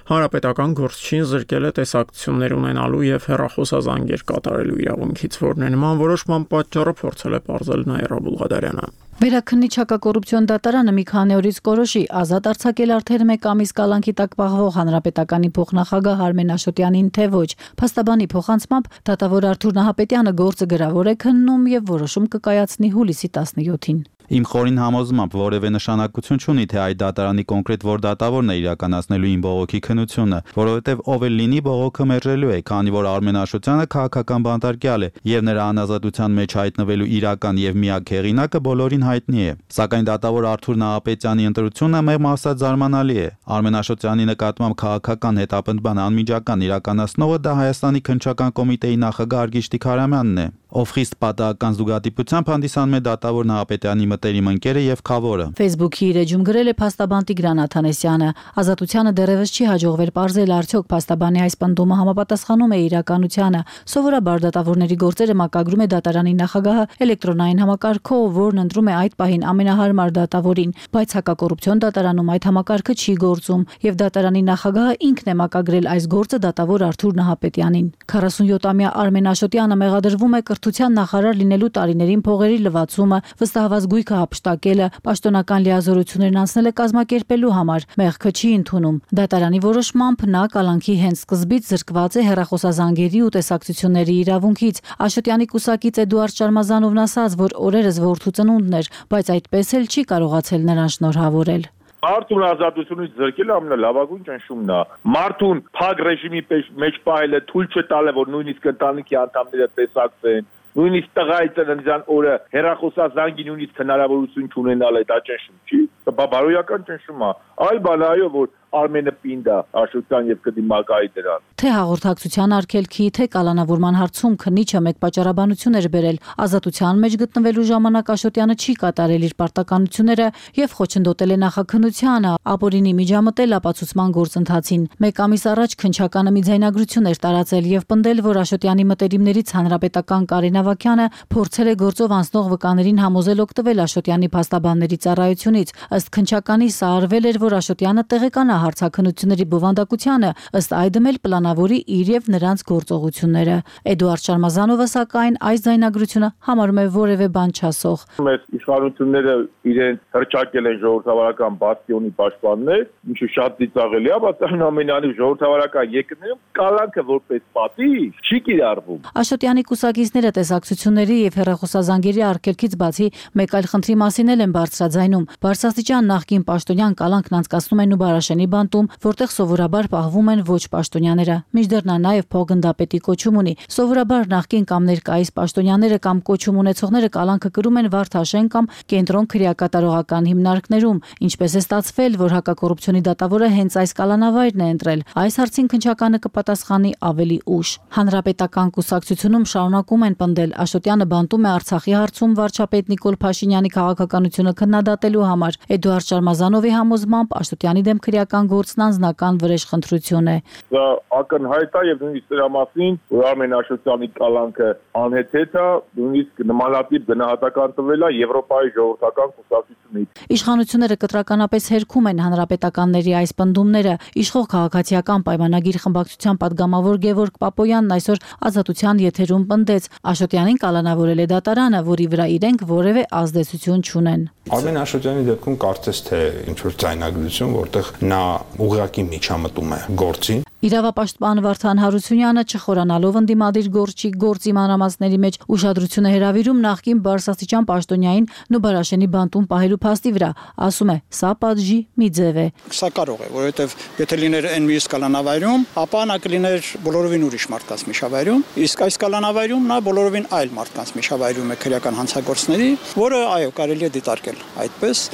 հանրապետական գործչին զրկել է տեսակցություններ ունենալու եւ հեռախոսազանգեր կատարելու իրավունքից, որն է նման որոշման պատճառը փորձել է պարզել Նաիրա Բուլղադարյանը։ Վերաքննիչ հակակոռուպցիոն դատարանը մի քանի օրից կորոշի ազատ արձակել արդեն մեկ ամիս կալանքի տակ պահվող հանրապետականի փոխնախագահ Արմեն Աշոտյանին, թե ոչ։ Փաստաբանի փոխանցմամբ դատավոր Արթուր Նահապետյանը գործը գրավոր է քննում եւ որոշում կկայացնի հուլիսի տասնյոթին։ Իմ խորին համոզմամբ որևէ նշանակություն չունի, թե այդ դատարանի կոնկրետ որ դատավորն է իրականացնելու իմ բողոքի քննությունը, որովհետև ով էլ լինի բողոքը մերժելու է, քանի որ Արմեն Աշոտյանը քաղաքական բանտարկյալ է եւ նրա անազատության մեջ հայտնվելու իրական եւ միակ հեղինակը բոլորին հայտնի է։ Սակայն դատավոր Արթուր Նահապետյանի ընտրությունը մեղմ ասած զարմանալի է։ Արմեն Աշոտյանի նկատմամբ քաղաքական հետապնդման անմիջական իրականացնողը դա Հայաստանի քննչական կոմիտեի նախագահ Արգիշ Տիգրամյանն է, ով խիստ պատահական զուգադիպությամբ հանդիսանում է դատավոր Նահապետյանի մտերիմ ընկերը եւ խավորը։ Facebook-ի իր էջում գրել է փաստաբան Տիգրան Աթանեսյանը։ Ազատությանը դեռևս չի հաջողվել պարզել արդյոք փաստաբանի այս պնդումը համապատասխանում է իրականությանը։ Սովորաբար դատավորների գործերը մակագրում է դատարանի նախագահը էլեկտրոնային համակարգով, որն ընտրում է այդ պահին ամենահարմար դատավորին, բայց հակակոռուպցիոն դատարանում այդ համակարգը չի գործում, եւ դատարանի նախագահը ինքն է մակագրել այս գործը դատավոր Արթուր Նահապետյանին։ քառասունյոթամյա Արմեն Աշոտյանը մեղադրվում է կրթության նախարար լինելու տարիներին փողերի լվացումը, վստահված գույքը հափշտակելը, պաշտոնական լիազորություններն անցնել է կազմակերպելու համար, մեղքը չի ընդունում։ Դատարանի որոշմամբ նա կալանքի հենց սկզբից զրկված է հեռախոսազանգերի ու տեսակցությունների իրավունքից։ Աշոտյանի կուսակից Էդուարդ Շարմազանովն ասաց, որ օրերս որդու ծնունդն էր, բայց այդպես էլ չի կարողացել նրան շնորհավորել։ Մարդուն ազատությունից զրկելը ամենալավագույն ճնշումն է։ Մարդուն փակ ռեժիմի մեջ պահելը թույլ չտալը, որ նույնիսկ ընտանիքի անդամները տեսակցեն, նույնիսկ տղայի ծննդյան օրը հեռախոսազանգի նույնիսկ հնարավորություն չունենալ է, դա ճնշում չի։ Դա բարոյական ճնշում է։ Այլ բան այո, որ Արմենը պինդ է Աշոտյան եւ կդիմակայի դրան։ Թե հաղորդակցության արգելքի, թե կալանավորման հարցում քննիչը մեկ պատճառաբանություն էր բերել։ Ազատության մեջ գտնվելու ժամանակ Աշոտյանը չի կատարել իր պարտականությունները եւ խոչընդոտել է նախաքննությանը, ապօրինի միջամտել ապացուցման գործընթացին։ Մեկ ամիս առաջ քննչականը մի ձայնագրություն էր տարածել եւ պնդել, որ Աշոտյանի մտերիմներից հանրապետական Կարեն Ավագյանը փորձել է գործով անցնող վկաներին համոզել օգտվել Աշոտյանի փաստաբանների ծառայությունից։ Ըստ քննչականի սա արվել էր, որ Աշոտյանը տեղեկանա հարցաքննությունների բովանդակությանը, ըստ այդմ էլ պլանավորի իր եւ նրանց գործողությունները։ Էդուարդ Շարմազանովը սակայն այս ձայնագրությունը համարում է որևէ բան չասող։ Մեծ իշխանությունները իրենց հրճակել են ժողովրդավարական բաստիոնի պաշտպաններ, ինչու շատ ծիծաղելի է, բայց այնուամենայնիվ ժողովրդավարական երկրներում կալանքը որպես պատիժ չի կիրառվում։ Աշոտյանի կուսակիցները տեսակցությունների եւ հեռախոսազանգերի արգելքից բացի մեկ այլ խնդրի մասին էլ են բարձրաձայնում։ Բարձրաստիճան նախկին պաշտոնյան կալանքն անցկացնում են Նուբարաշենի բանտում, որտեղ սովորաբար պահվում են ոչ պաշտոնյաները։ Մինչդեռ նա նաև փոխգնդապետի կոչում ունի։ Սովորաբար նախկին կամ ներկայիս պաշտոնյաները կամ կոչում ունեցողները կալանքը կրում են Վարդաշեն կամ կենտրոն քրեակատարողական հիմնարկներում, ինչպես է ստացվել, որ հակակոռուպցիոնի դատավորը հենց այս կալանավայրն է ընտրել։ Այս հարցին քննչականը կպատասխանի ավելի ուշ։ Հանրապետական կուսակցությունում շարունակում են պնդել Աշոտյանը բանտում է Արցախի հարցում վարչապետ Նիկոլ Փաշինյանի քաղաքականությունը քննադատելու համար։ Էդուարդ Շարմազանովի համոզմամբ Աշոտյանի դեմ քրեական գործն անձնական վրեժխնդրություն է։ Դա ակնհայտ է եւ նույնիսկ դրա մասին, որ Արմեն Աշոտյանի կալանքը անհեթեթ է, նույնիսկ նմանատիպ գնահատական տվել է Եվրոպայի ժողովրդական կուսակցությունից։ Իշխանությունները կտրականապես հերքում են հանրապետականների այս պնդումները։ Իշխող քաղաքացիական պայմանագիր խմբակցության падգամավոր Գևորգ Պապոյանն այսօր Ազատության եթերում պնդեց Աշոտյանին կալանավորել է դատարանը, որի վրա իրենք որևէ ազդեցություն չունեն։ Արմեն Աշոտյանի դեպքում կարծես թե ինչ որ ձայնագրություն, որտեղ նա ուղղակի միջամտում է գործին։ Իրավապաշտպան Վարդան Հարությունյանը չխորանալով ընդդիմադիր գործի գործի մանրամասների մեջ ուշադրություն է հրավիրում նախկին բարձրաստիճան պաշտոնյային Նուբարաշենի բանտում պահելու փաստի վրա, ասում է, սա պատժի մի ձև է։ Սա կարող է, որովհետև եթե լիներ այն մյուս կալանավայրում, ապա նա կլիներ բոլորովին ուրիշ մարդկանց միջավայրում, իսկ այս կալանավայրում նա բոլորովին այլ մարդկանց միջավայրում է քրեական հանցագործների, որը այո, կարելի է դիտարկել այդպես,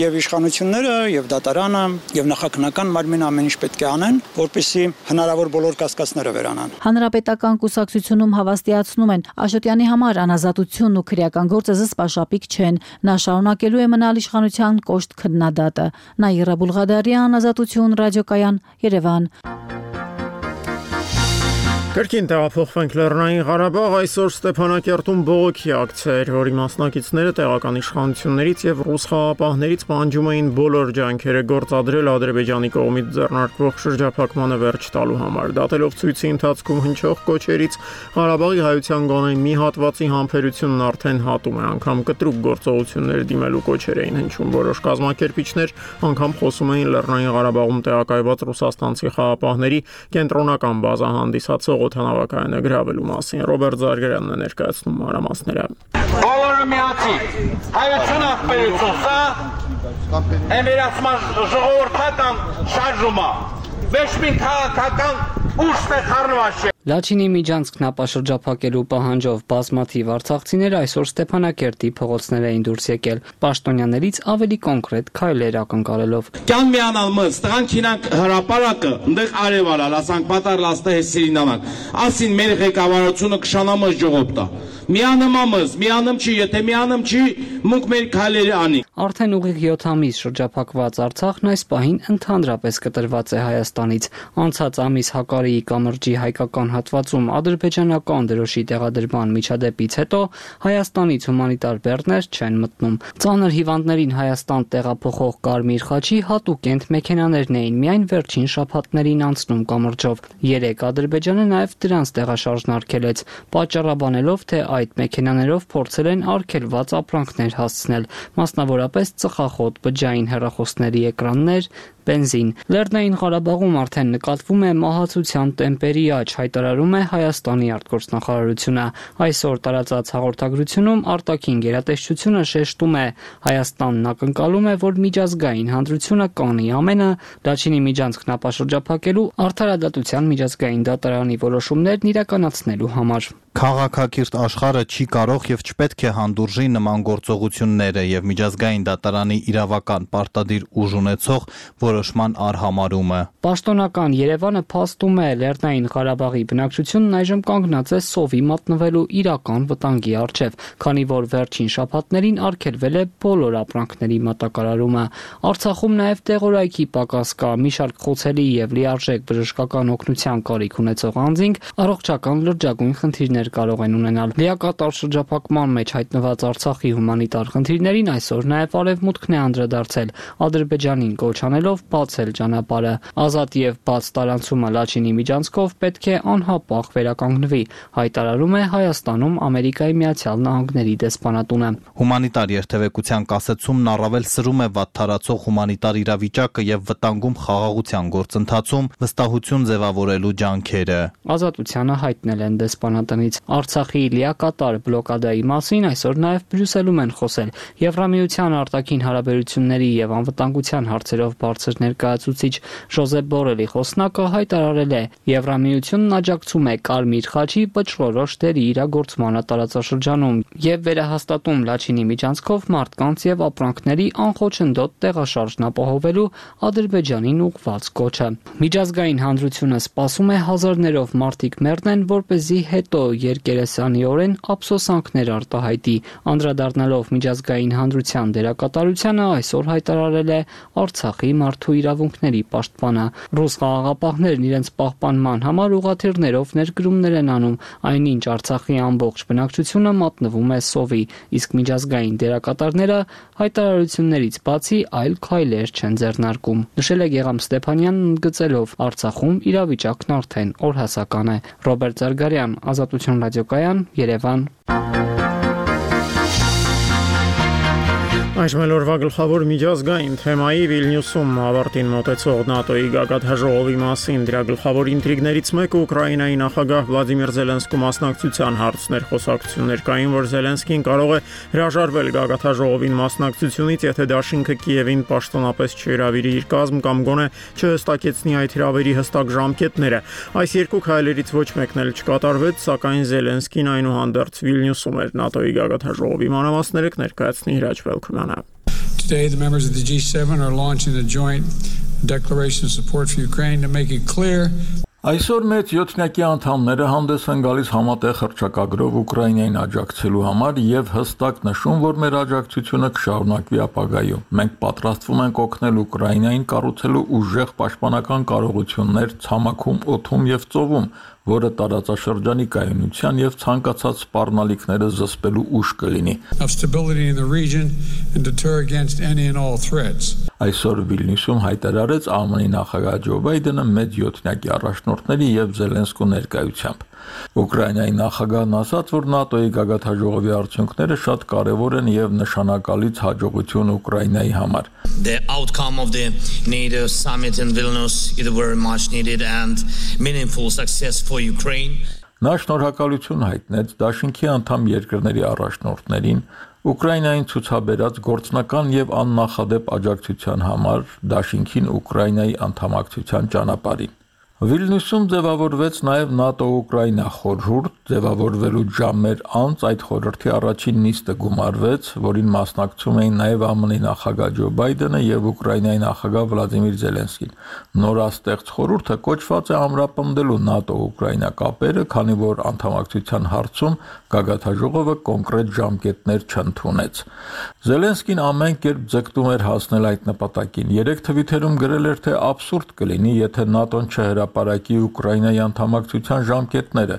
եւ իշխանությունները եւ դատարանը եւ նախաքննական մարմինը ամեն ինչ պետք է անեն, որպեսզի հնարավոր բոլոր կասկածները վերանան։ Հանրապետական կուսակցությունում հավաստիացնում են Աշոտյանի համար անազատությունն ու քրեական գործը զսպաշապիկ չեն։ Նա շարունակելու է մնալ իշխանության կոշտ քննադատը։ Նաիրա Բուլղադարյան, Ազատություն, Ռադիոկայան, Երևան։ Կրկին տեղափոխվենք Լեռնային Ղարաբաղ, այսօր Ստեփանակերտում բողոքի ակցիա էր, որի մասնակիցները տեղական իշխանություններից եւ ռուս խաղապահներից պահանջում էին բոլոր ջանքերը գործադրել Ադրբեջանի կողմից ձեռնարկվող շրջափակմանը վերջ տալու համար։ Դատելով ցույցի ընթացքում հնչող կոչերից, Ղարաբաղի հայության գոնե մի հատվածի համբերությունն արդեն հատում է, անգամ կտրուկ գործողություններ դիմելու կոչեր էին հնչում։ Որոշ կազմակերպիչներ անգամ խոսում էին Լեռնային Ղարաբաղում տեղակայված ռուսաստանցի խաղապահների կենտրոնական բազա հանդիսացող օդանավակայանը գրավելու մասին։ Ռոբերտ Զարգարյանն է ներկայացնում մանրամասները։ Բոլորը միացի, հայություն ախպերություն, սա էմերացման ժողովրդական շարժումա, ոչ մի քաղաքական ուժ է խառնված չէ։ Լաչինի Միջանցք նապաշրջափակելու պահանջով բազմաթիվ արցախցիներ այսօր Ստեփանակերտի փողոցներ էին դուրս եկել, պաշտոնյաներից ավելի կոնկրետ քայլեր ակնկալելով։ Կյան միանալ մս, տղան քինանք հրապարակը, ընդեղ արևալ, ասանք պատար լաստը հեսիրինանանք, ասին մեր ղեկավարությունը կշանամս ժողոպտա։ Միանում ամս, միանում չի, եթե միանում չի, մունք մեր քայլերը անի։ Արդեն ուղիղ յոթ ամիս շրջափակված Արցախն այս պահին ընդհանրապես կտրված է Հայաստանից։ Անցած ամիս Հակարիի կամրջի հայկական հատվածում ադրբեջանական դրոշի տեղադրման միջադեպից հետո Հայաստանից հումանիտար բեռներ չեն մտնում։ Ծանր հիվանդներին Հայաստան տեղափոխող Կարմիր խաչի հատուկենտ մեքենաներն էին միայն վերջին շաբաթներին անցնում կամրջով։ Երեք Ադրբեջանը նաև դրանց տեղաշարժն արգելեց, պատճառաբանելով, թե այդ մեքենաներով փորձել են արգելված ապրանքներ հասցնել, մասնավորապես ծխախոտ, բջջային հեռախոսների էկրաններ, բենզին։ Լեռնային Ղարաբաղում արդեն նկատվում է մահացության տեմպերի աճ, հայտարարում է Հայաստանի արտգործնախարարությունը։ Այսօր տարածած հաղորդագրությունում արտաքին գերատեսչությունը շեշտում է, Հայաստանն ակնկալում է, որ միջազգային հանրությունը կանի ամենը Լաչինի Միջանցք նապաշրջափակելու արդարադատության միջազգային դատարանի որոշումներն իրականացնելու համար։ Քաղաքակիրթ աշխարհը չի կարող եւ չպետք է հանդուրժի նման գործողությունները եւ միջազգային դատարանի իրավական պարտադիր ուժ ունեցող որոշման արհամարումը։ Պաշտոնական Երևանը փաստում է, Լեռնային Ղարաբաղի բնակչությունն այժմ կանգնած է սովի մատնվելու իրական վտանգի առջև, քանի որ վերջին շաբաթներին արգելվել է բոլոր ապրանքների մատակարարումը։ Արցախում նաև տեղորայքի պակաս կա, մի շարք խոցելի եւ լիարժեք բժշկական օգնության կարիք ունեցող անձինք առողջական լրջագույն խնդիրներ կարող են ունենալ։ Լիակատար շրջափակման մեջ հայտնված Արցախի հումանիտար խնդիրներին այսօր նաև Արևմուտքն է անդրադարձել, Ադրբեջանին կոչ անելով բացել ճանապարհը։ Ազատ եւ բաց տարանցումը Լաչինի Միջանցքով պետք է անհապաղ վերականգնվի, հայտարարում է Հայաստանում Ամերիկայի Միացյալ Նահանգների դեսպանատունը։ Հումանիտար երթևեկության կասեցումն առավել սրում է վատթարացող հումանիտար իրավիճակը եւ վտանգում խաղաղության գործընթացում վստահություն ձևավորելու ջանքերը։ Ազատությանը հայտնել են դեսպանատնից։ Արցախի լիակատար բլոկադայի մասին այսօր նաև Բրյուսելում են խոսել Եվրամիության արտաքին հարաբերությունների եւ անվտանգության հարցերով բարձր ներկայացուցիչ Ժոզեփ Բորելի խոսնակը հայտարարել է. Եվրամիությունն աջակցում է Կարմիր խաչի վճռորոշ դերի իրագործմանը տարածաշրջանում եւ վերահաստատում Լաչինի Միջանցքով մարդկանց եւ ապրանքների անխոչնդոտ տեղաշարժն ապահովելու Ադրբեջանին ուղղված կոչը։ Միջազգային հանրությունը սպասում է հազարներով մարդիկ մեռնեն, որպեսզի հետո երկերեսանիորեն ափսոսանքներ արտահայտի։ Անդրադառնալով միջազգային հանրության դերակատարությանը այսօր հայտարարել է Արցախի մարդու իրավունքների պաշտպանը։ Ռուս խաղաղապահներն իրենց պահպանման համար ուղղաթիռներով ներդրումներ են անում, այնինչ Արցախի ամբողջ բնակչությունը մատնվում է սովի, իսկ միջազգային դերակատարները հայտարարություններից բացի այլ քայլեր չեն ձեռնարկում։ Նշել է Գեգամ Ստեփանյանն ընդգծելով, Արցախում իրավիճակն արդեն օրհասական է։ Ռոբերտ Զարգարյան, Ազատություն ռադիոկայան, Երևան։ Այս մելորվա գլխավոր միջազգային թեմայի Վիլնյուսում ավարտին մոտեցող ՆԱՏՕ-ի գագաթաժողովի մասին դրա գլխավոր ինտրիգներից մեկը Ուկրաինայի նախագահ Վլադիմիր Զելենսկու մասնակցության հարցներ խոսակցություններ կային, որ Զելենսկին կարող է հրաժարվել գագաթաժողովին մասնակցությունից, եթե դաշինքը Կիևին պաշտոնապես չհրավիրի իր կազմ կամ գոնե չհստակեցնի այդ հրավերի հստակ ժամկետները։ Այս երկու քայլերից ոչ մեկն էլ չկատարվեց, սակայն Զելենսկին այնուհանդերձ Վիլնյուսում էր ՆԱՏՕ-ի գագաթաժողովի մանրամասները կներկայացնի Հրաչ Բելքումյանը։ Today, the members of the G seven are launching a joint declaration of support for Ukraine to make it clear. Այսօր մեծ յոթնյակի անդամները հանդես են գալիս համատեղ հռչակագրով Ուկրաինային աջակցելու համար եւ հստակ նշում, որ մեր աջակցությունը կշարունակվի ապագայում։ Մենք պատրաստվում ենք օգնել Ուկրաինային կառուցելու ուժեղ պաշտպանական կարողություններ ցամաքում, օդում եւ ծովում, որը տարածաշրջանի կայունության եւ ցանկացած սպառնալիքները զսպելու ուժ կլինի։ Այսօր Վիլնյուսում հայտարարեց ԱՄՆ-ի նախագահ Ջո Բայդենը մեծ յոթնյակի առաջնորդների եւ Զելենսկու ներկայությամբ։ Ուկրաինայի նախագահն ասաց, որ ՆԱՏՕ-ի գագաթաժողովի արդյունքները շատ կարևոր են եւ նշանակալից հաջողություն Ուկրաինայի համար։ The outcome of the NATO summit in Vilnius is very much needed and meaningful success for Ukraine. Նա շնորհակալություն հայտնեց դաշինքի անդամ երկրների առաջնորդներին Ուկրաինային ցուցաբերած գործնական եւ աննախադեպ աջակցության համար, դաշինքին Ուկրաինայի անդամակցության ճանապարհին։ Վիլնյուսում ձևավորվեց նաև ՆԱՏՕ-Ուկրաինա խորհուրդ, ձևավորվելու ժամեր անց այդ խորհրդի առաջին նիստը գումարվեց, որին մասնակցում էին նաև ԱՄՆ-ի նախագահ Ջո Բայդենը եւ Ուկրաինայի նախագահ Վլադիմիր Զելենսկին։ Նորաստեղծ խորհուրդը կոչված է ամրապնդելու ՆԱՏՕ-Ուկրաինա կապերը, քանի որ անդամակցության հարցում գագաթնաժողովը կոնկրետ ժամկետներ չընդունեց։ Զելենսկին ամեն կերպ ձգտում էր հասնել այդ նպատակին։ Երեք թվիթերում գրել էր, թե աբսուրդ կլինի, եթե ՆԱՏՕ-ն չհրապարակի Ուկրաինայի անդամակցության ժամկետները։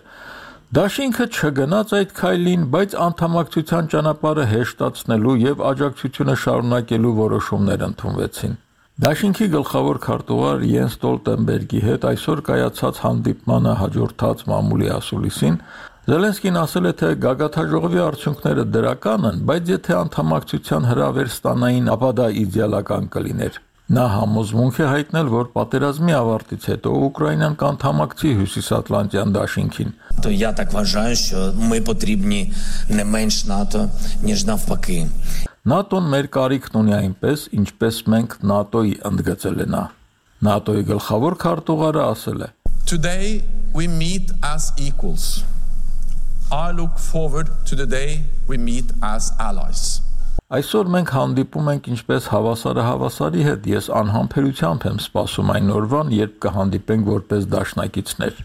Դաշինքը չգնաց այդ քայլին, բայց անդամակցության ճանապարհը հեշտացնելու եւ աջակցությունը շարունակելու որոշումներ ընդունվեցին։ Դաշինքի գլխավոր քարտուղար Յենս Ստոլտենբերգի հետ այսօր կայացած հանդիպմանը հաջորդած մամուլի ասուլիսին Զելենսկին ասել է, թե գագաթնաժողովի արդյունքները դրական են, բայց եթե անդամակցության հրավեր ստանային, ապա դա իդեալական կլիներ։ Նա համոզմունք է հայտնել, որ պատերազմի ավարտից հետո Ուկրաինան կանդամակցի Հյուսիսատլանտյան դաշինքին։ То я так вважаю, що ми потрібні не менш НАТО, ніж навпаки. ՆԱՏՕ-ն մեր կարիքն ունի այնպես, ինչպես մենք ՆԱՏՕ-ի, ընդգծել է նա։ ՆԱՏՕ-ի գլխավոր քարտուղարը ասել է. Today we meet as equals. I look forward to the day we meet as allies. Այսօր մենք հանդիպում ենք ինչպես հավասարը հավասարի հետ, ես անհամբերությամբ եմ սպասում այն օրվան, երբ կհանդիպենք որպես դաշնակիցներ։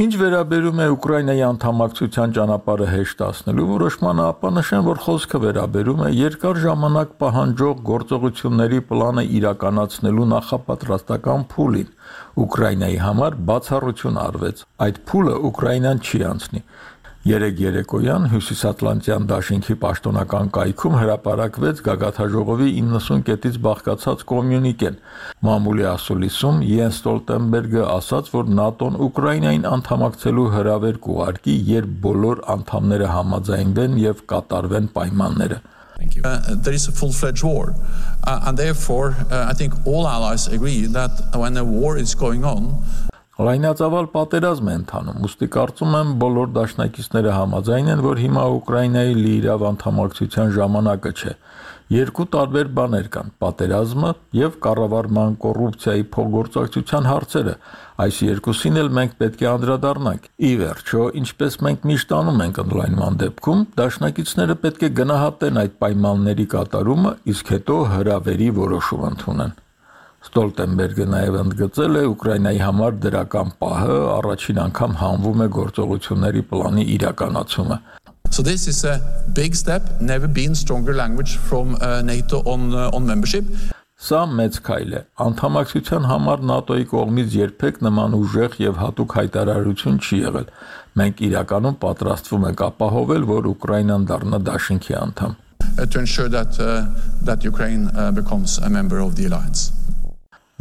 Ինչ վերաբերում է Ուկրաինայի անդամակցության ճանապարհը հեշտացնելու որոշմանը, ապա նշեմ, որ խոսքը վերաբերում է երկար ժամանակ պահանջող գործողությունների պլանը իրականացնելու նախապատրաստական փուլին։ Ուկրաինայի համար բացառություն արվեց։ Այդ փուլը Ուկրաինան չի անցնի։ Երեկ երեկոյան Հյուսիսատլանտյան դաշինքի պաշտոնական կայքում հրապարակվեց գագաթնաժողովի իննսուն կետից բաղկացած կոմյունիկեն։ Մամուլի ասուլիսում Յենս Ստոլտենբերգը ասաց, որ ՆԱՏՕ-ն Ուկրաինային անդամակցելու հրավեր կուղարկի, երբ բոլոր անդամները համաձայնվեն եւ կատարվեն պայմանները։ Uh, there is a full-fledged war, uh, and therefore uh, I think all allies agree that when a war is going on, Լայնածավալ պատերազմ է ընթանում, ուստի կարծում եմ բոլոր դաշնակիցները համաձայն են, որ հիմա Ուկրաինայի լիիրավ անդամակցության ժամանակը չէ։ Երկու տարբեր բաներ կան՝ պատերազմը եւ կառավարման կոռուպցիայի փոխգործակցության հարցերը։ Այս երկուսին էլ մենք պետք է անդրադառնանք։ Ի վերջո, ինչպես մենք միշտ անում ենք ընդլայնման դեպքում, դաշնակիցները պետք է գնահատեն այդ պայմանների կատարումը, իսկ հետո հրավերի որոշում ընդունեն։ Ստոլտենբերգը նաև ընդգծել է Ուկրաինայի համար դրական պահը, առաջին անգամ հանվում է գործողությունների պլանի իրականացումը։ So this is a big step, never been stronger language from uh, NATO on uh, on membership. Սա մեծ քայլ է։ Անդամակցության համար ՆԱՏՕ-ի կողմից երբեք նման ուժեղ եւ հատուկ հայտարարություն չի եղել։ Մենք իրականում պատրաստվում ենք ապահովել, որ Ուկրաինան դառնա դաշինքի անդամ։ To ensure that uh, that Ukraine uh, becomes a member of the alliance.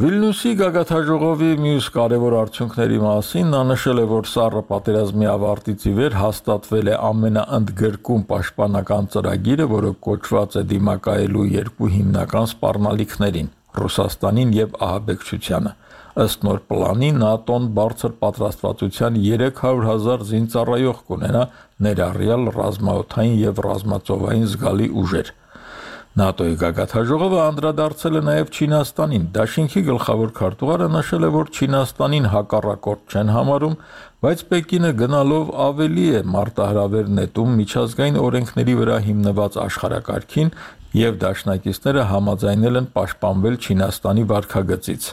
Վիլնյուսի գագաթնաժողովի մյուս կարևոր արդյունքների մասին նա նշել է, որ սառը պատերազմի ավարտից ի վեր հաստատվել է ամենաընդգրկուն պաշտպանական ծրագիրը, որը կոչված է դիմակայելու երկու հիմնական սպառնալիքներին՝ Ռուսաստանին եւ ահաբեկչությանը։ Ըստ նոր պլանի ՆԱՏՕ-ն բարձր պատրաստվածության երեք հարյուր հազար զինծառայող կունենա, ներառյալ ռազմաօդային եւ ռազմածովային զգալի ուժեր։ ՆԱՏՕ-ի գագաթնաժողովը անդրադարձել է նաև Չինաստանին։ Դաշինքի գլխավոր քարտուղարը նշել է, որ Չինաստանին հակառակորդ չեն համարում, բայց Պեկինը գնալով ավելի է մարտահրավեր նետում միջազգային օրենքների վրա հիմնված աշխարհակարգին եւ դաշնակիցները համաձայնել են պաշտպանվել Չինաստանի վարքագծից։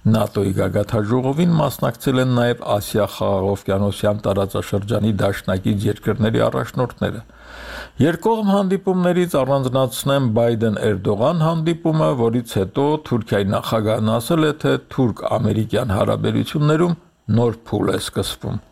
ՆԱՏՕ-ի գագաթնաժողովին մասնակցել են նաև Ասիա-Խաղաղօվկիանոսյան տարածաշրջանի դաշնակից երկրների առաջնորդները։ Երկկողմ հանդիպումներից առանձնացնեմ Բայդեն-Էրդողան հանդիպումը, որից հետո Թուրքիայի նախագահն ասել է, թե թուրք-ամերիկյան հարաբերություններում նոր փուլ է սկսվում։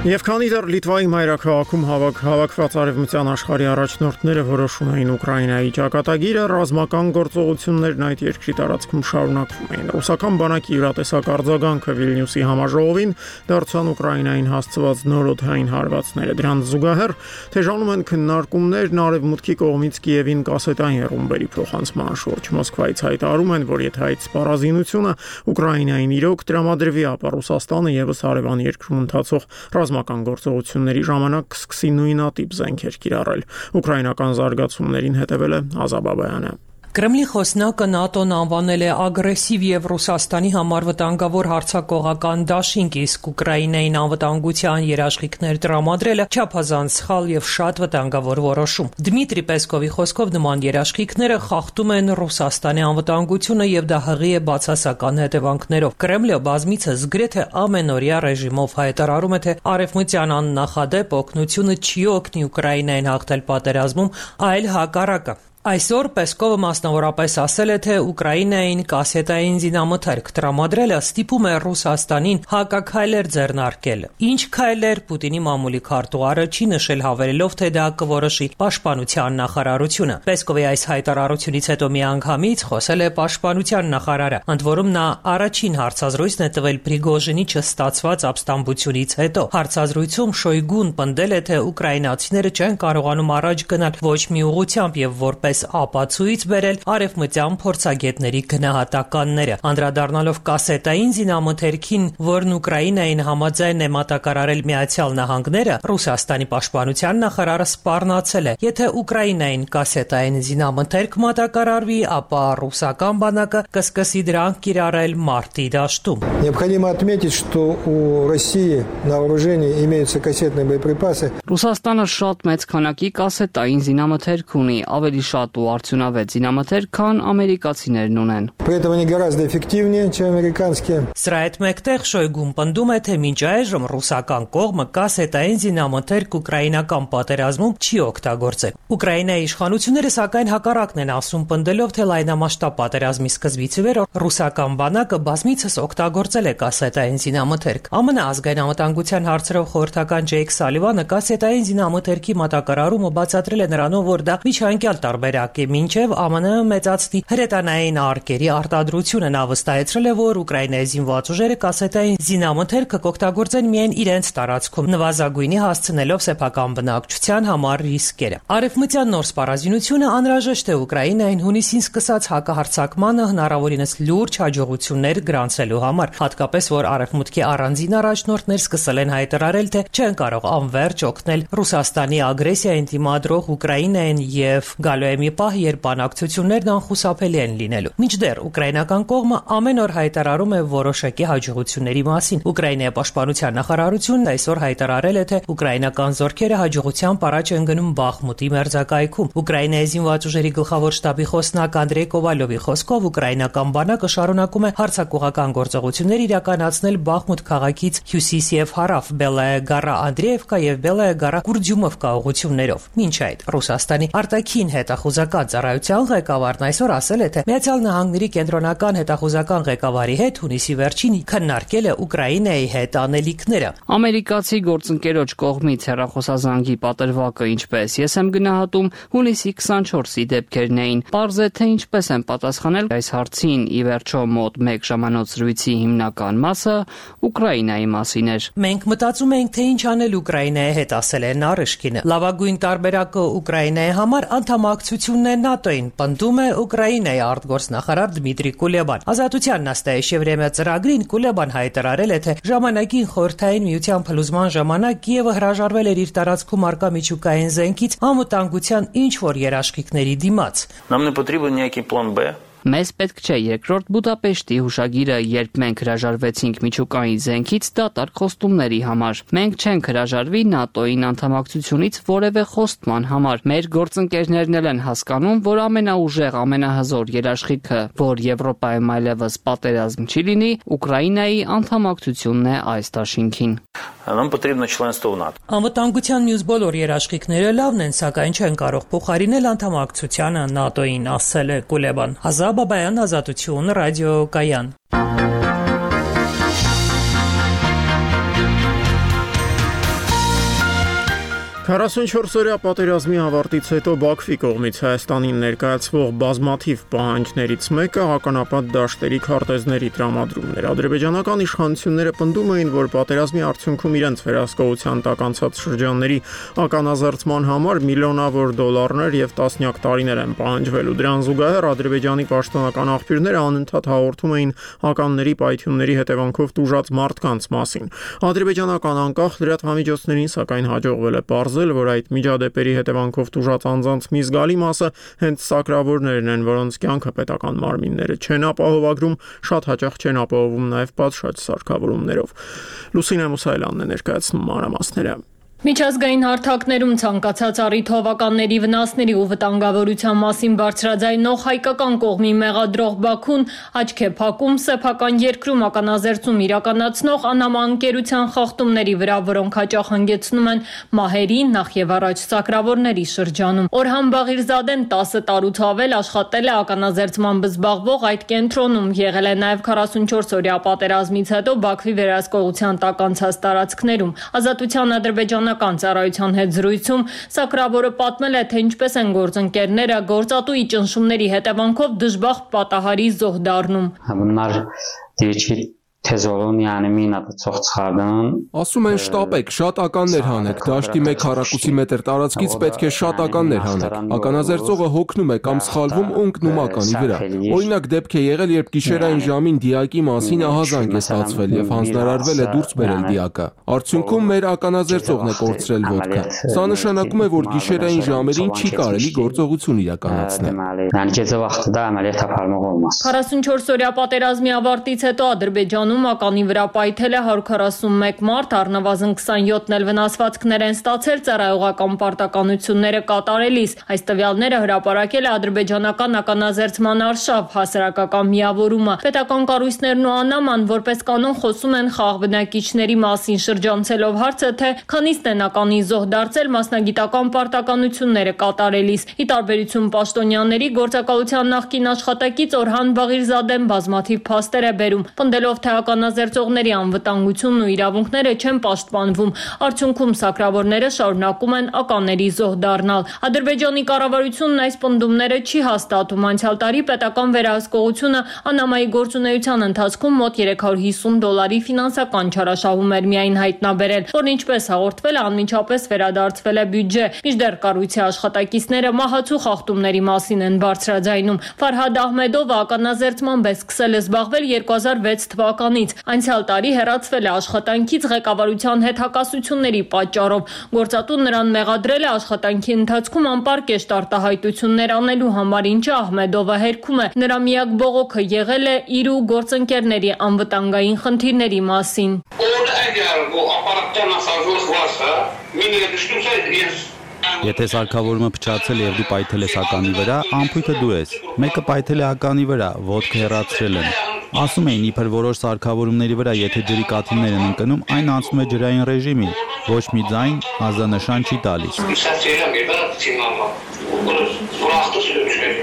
Եվ քանի դեռ Լիտվայի մայրաքաղաքում հավաք հավաքված արևմտյան աշխարհի առաջնորդները որոշում էին Ուկրաինայի ճակատագիրը, ռազմական գործողություններն այդ երկրի տարածքում շարունակվում էին։ Ռուսական բանակի յուրատեսակ արձագանքը Վիլնյուսի համաժողովին դարձան Ուկրաինային հասցված նոր օդային հարվածները։ Դրան զուգահեռ թեժանում են քննարկումներն արևմուտքի կողմից Կիևին կասետային ռումբերի փոխանցման շուրջ։ Մոսկվայից հայտարարում են, որ եթե այդ սպառազինությունը Ուկրաինային իրոք տրամադրվի, ապա Ռուսաստանը եւս հարևան երկրում ընթացող ռազմական գործողությունների ժամանակ կսկսի նույնատիպ զենքեր կիրառել։ Ուկրաինական զարգացումներին հետևել է Ազա Բաբայանը։ Կրեմլի խոսնակը ՆԱՏՕ-ն անվանել է ագրեսիվ եւ Ռուսաստանի համար վտանգավոր հարձակողական դաշինք, իսկ Ուկրաինային անվտանգության երաշխիքներ տրամադրելը չափազանց սխալ եւ շատ վտանգավոր որոշում։ Դմիտրի Պեսկովի խոսքով նման երաշխիքները խախտում են Ռուսաստանի անվտանգությունը եւ դա հղի է բացասական հետևանքներով։ Կրեմլը բազմիցս գրեթե ամենօրյա ռեժիմով հայտարարում է, թե արևմտյան աննախադեպ օգնությունը չի օգնի Ուկրաինային հաղթել պատերազմում, այլ հակառակը։ Այսօր Պեսկովը մասնավորապես ասել է, թե Ուկրաինային կասետային զինամթերք տրամադրելը ստիպում է Ռուսաստանին հակաքայլեր ձեռնարկել։ Ինչ քայլեր Պուտինի մամուլի քարտուղարը չի նշել, հավելելով, թե դա կորոշի պաշտպանության նախարարությունը։ Պեսկովի այս հայտարարությունից հետո միանգամից խոսել է պաշտպանության նախարարը, ընդ որում նա առաջին հարցազրույցն է տվել Պրիգոժինի չստացված ապստամբությունից հետո։ Հարցազրույցում Շոյգուն պնդել է, թե ուկրաինացիները չեն կարողանում առաջ գնալ ոչ մի ուղղությամբ եւ որպես ապացույց բերել արևմտյան փորձագետների գնահատականները, անդրադառնալով կասետային զինամթերքին, որն Ուկրաինային համաձայն է մատակարարել Միացյալ Նահանգները, Ռուսաստանի պաշտպանության նախարարը սպառնացել է. եթե Ուկրաինային կասետային զինամթերք մատակարարվի, ապա ռուսական բանակը կսկսի դրանք կիրառել մարտի դաշտում։ Необходимо отметить, что у России на вооружении имеются кассетные боеприпасы. Ռուսաստանը շատ մեծ քանակի կասետային զինամթերք ունի, ավելի շատ ու արդյունավետ զինամթերք, քան ամերիկացիներն ունեն։ Поэтому они гораздо эффективнее, чем американские. Սրա հետ մեկտեղ Շոյգուն պնդում է, թե մինչ այժմ ռուսական կողմը կասետային զինամթերք ուկրաինական պատերազմում չի օգտագործել։ Ուկրաինայի իշխանությունները սակայն հակառակն են ասում, պնդելով, թե լայնամասշտաբ պատերազմի սկզբից ի վեր ռուսական բանակը բազմիցս օգտագործել է կասետային զինամթերք։ ԱՄՆ ազգային անվտանգության հարցերով խորհրդական Ջեյք Սալիվանը կասետային զինամթերքի մատակարարումը բացատրել է նրանով, որ դա միջանկյալ տարբերակ է, մինչև ԱՄՆ մեծացնի հրետանային արկերի արտադրությունը։ Նա վստահեցրել է, որ Ուկրաինայի զինված ուժերը կասետային զինամթերքը կօգտագործեն միայն իրենց տարածքում, նվազագույնի հասցնելով սեփական բնակչության համար ռիսկերը։ Արևմտյան նոր սպառազինությունը անհրաժեշտ է Ուկրաինային հունիսին սկսած հակահարձակմանը հնարավորինս լուրջ հաջողություններ գրանցելու համար, հատկապես որ արևմուտքի առանձին առաջնորդներ սկսել են հայտարարել, թե չեն կարող անվերջ օգնել Ռուսաստանի ագրեսիային դիմադրող Ուկրաինային եւ գալու է մի պահ, երբ բանակցություններն անխուսափելի են լինելու։ Մինչդեռ ուկրաինական կողմը ամեն օր հայտարարում է որոշակի հաջողությունների մասին։ Ուկրաինայի պաշտպանության նախարարությունն այսօր հայտարարել է, թե ուկրաինական զորքերը հաջողությամբ առաջ են գնում Բախմուտի մերձակայքում։ Ուկրաինայի զինված ուժերի գլխավոր շտաբի խոսնակ Անդրեյ Կովալովի խոսքով ուկրաինական բանակը շարունակում է հարձակողական գործողություններ իրականացնել Բախմուտ քաղաքից հյուսիս եւ հարավ, Բելայա Գարա Անդրեևկա եւ Բելայա Գարա Կուրդյումովկա ուղղություններով։ Մինչ այդ Ռուսաստանի արտաքին հետախուզական ծառայության ղեկավարն այսօր ասել է, թե Միացյալ Նահանգների կենտրոնական հետախուզական ղեկավարի հետ հունիսի վերջին քննարկել է Ուկրաինայի հետ անելիքները։ Ամերիկացի գործընկերոջ կողմից հեռախոսազանգի պատրվակը, ինչպես ես եմ գնահատում, հունիսի քսանչորսի դեպքերն էին։ Պարզ է, թե ինչպես են պատասխանել այս հարցին, ի վերջո մոտ մեկ ժամանոց զրույցի հիմնական մասը Ուկրաինայի մասին էր։ Մենք մտածում ենք, թե ինչ անել Ուկրաինայի հետ, ասել է Նարիշկինը։ Լավագույն տարբերակը Ուկրաինայի համար անդամակցությունն է ՆԱՏՕ-ին, պնդում է Ուկրաինայի արտգործնախարար Դմիտրի Կուլեբան։ Ազատության Նաստայեշևրեմյա ծրագրին Կուլեբան հայտարարել է, թե ժամանակին Խորհրդային Միության փլուզման ժամանակ Կիևը հրաժարվել էր իր տարածքում արկա միջուկային զենքից անվտանգության ինչ որ երաշխիքների դիմաց։ Нам не потрібен ніякий план Б. Մեզ պետք չէ երկրորդ Բուդապեշտի հուշագիրը, երբ մենք հրաժարվեցինք միջուկային զենքից դատարկ խոստումների համար։ Մենք չենք հրաժարվի ՆԱՏՕ-ին անդամակցությունից որևէ խոստման համար։ Մեր գործընկերներն էլ են հասկանում, որ ամենաուժեղ, ամենահզոր երաշխիքը, որ Եվրոպայում այլևս պատերազմ չի լինի, Ուկրաինայի անդամակցությունն է այս դաշինքին։ Нам потрібно членство в НАТО. Անվտանգության մյուս բոլոր երաշխիքները լավն են, սակայն չեն կարող փոխարինել անդամակցությանը ՆԱՏՕ-ին, ասել է Կուլեբան։ Ազա Բաբայան, Ազատություն, ռադիոկայան։ քառասունչորս-օրյա պատերազմի ավարտից հետո Բաքվի կողմից Հայաստանին ներկայացվող բազմաթիվ պահանջներից մեկը հականապատ դաշտերի քարտեզների տրամադրումն էր։ Ադրբեջանական իշխանությունները պնդում էին, որ պատերազմի արդյունքում իրենց վերահսկողության տակ անցած շրջանների ականազերծման համար միլիոնավոր դոլարներ եւ տասնյակ տարիներ են պահանջվելու։ Դրան զուգահեռ Ադրբեջանի պաշտոնական աղբյուրները անընդհատ հաղորդում էին հականների պայթյունների հետևանքով տուժած մարդկանց մասին։ Ադրբեջանական անկախ լրատվամիջոցներին սակայն հաջողվել է պարզել, որ այդ միջադեպերի հետևանքով տուժած անձանց մի զգալի մասը հենց սակրավորներն են, որոնց կյանքը պետական մարմինները չեն ապահովագրում, շատ հաճախ չեն ապահովում նաև պատշաճ սարքավորումներով։ Լուսինե Մուսայելյանն է ներկայացնում մանրամասները։ Միջազգային հարթակներում ցանկացած առիթ հովականների վնասների ու վտանգավորության մասին բարձրաձայնող հայկական կողմի մեղադրող Բաքուն աչք է փակում սեփական երկրում ականազերծում իրականացնող անհամանկերության խախտումների վրա, որոնք հաճախ հանգեցնում են մահերի, նախ եւ առաջ սակրավորների շրջանում։ Օրհան Բաղիրզադեն տասը տարուց ավել աշխատել է ականազերծմամբ զբաղվող այդ կենտրոնում, եղել է նաեւ քառասունչորս օրյա պատերազմից հետո Բաքվի վերահսկողության տակ անցած տարածքներում։ Ազատության ադրբեջան ծառայության հետ զրույցում սակրավորը պատմել է, թե ինչպես են գործընկերները գործատուի ճնշումների հետևանքով դժբախտ պատահարի զոհ դառնում։ Ասում են շտապեք, շատ ականներ հանեք, դաշտի մեկ քառակուսի մետր տարածքից պետք է շատ ականներ հանեք։ Ականազերծողը հոգնում է կամ սխալվում ու ընկնում ականի վրա։ Օրինակ դեպք է եղել, երբ գիշերային ժամին դիակի մասին ահազանգ է ստացվել եւ հանձնարարվել է դուրս բերել դիակը։ Արդյունքում մեր ականազերծողն է կորցրել ոտքը։ Սա նշանակում է, որ գիշերային ժամերին չի կարելի գործողություն իրականացնել։ քառասունչորս օրյա պատերազմի ավարտից հետո Ադրբեջան ականի վրա պայթել է հարյուր քառասունմեկ մարդ, առնվազն քսանյոթն էլ վնասվածքներ են ստացել ծառայողական պարտականությունները կատարելիս։ Այս տվյալները հրապարակել է ադրբեջանական ականազերծման արշավ հասարակական միավորումը։ Պետական կառույցներն ու ԱՆԱՄ-ան որպես կանոն խոսում են խաղ բնակիչների մասին, շրջանցելով հարցը, թե քանիստ են ականի զոհ դարձել մասնագիտական պարտականությունները կատարելիս։ Ի տարբերություն պաշտոնյաների, գործակալության նախկին աշխատակից Օրհան Բաղիրզադեն բազմաթիվ փաստեր է բերում, պնդելով, թե ականազերծողների անվտանգությունն ու իրավունքները չեն պաշտպանվում։ Արդյունքում սակրավորները շարունակում են ականների զոհ դառնալ։ Ադրբեջանի կառավարությունն այս պնդումները չի հաստատում։ Անցյալ տարի պետական վերահսկողությունը ԱՆԱՄ-ի գործունեության ընթացքում մոտ երեք հարյուր հիսուն դոլարի ֆինանսական չարաշահում էր միայն հայտնաբերել, որն ինչպես հաղորդվել է, անմիջապես վերադարձվել է բյուջե։ Մինչդեռ կառույցի աշխատակիցները մահացու խախտումների մասին են բարձրաձայնում։ Ֆարհադ Ահմեդովը ականազերծմամբ է սկսել զբաղվել երկու հազար վեց թվականից։ Անցյալ տարի հեռացվել է աշխատանքից ղեկավարության հետ հակասությունների պատճառով։ Գործատուն նրան մեղադրել է աշխատանքի ընթացքում անպարկեշտ արտահայտություններ անելու համար, ինչը Ահմեդովը հերքում է։ Նրա միակ բողոքը եղել է իր ու գործընկերների անվտանգային խնդիրների մասին։ Եթե սարքավորումը փչացել եւ դու պայթել ես ականի վրա, ամփոյթը դու ես։ Մեկը պայթել է ականի վրա, ոտքը հեռացրել են։ Ասում էին, իբր որոշ սարքավորումների վրա, եթե ջրի կաթիլներ են ընկնում, այն անցնում է ջրային ռեժիմին, ոչ մի ձայն, ազդանշան չի տալիս։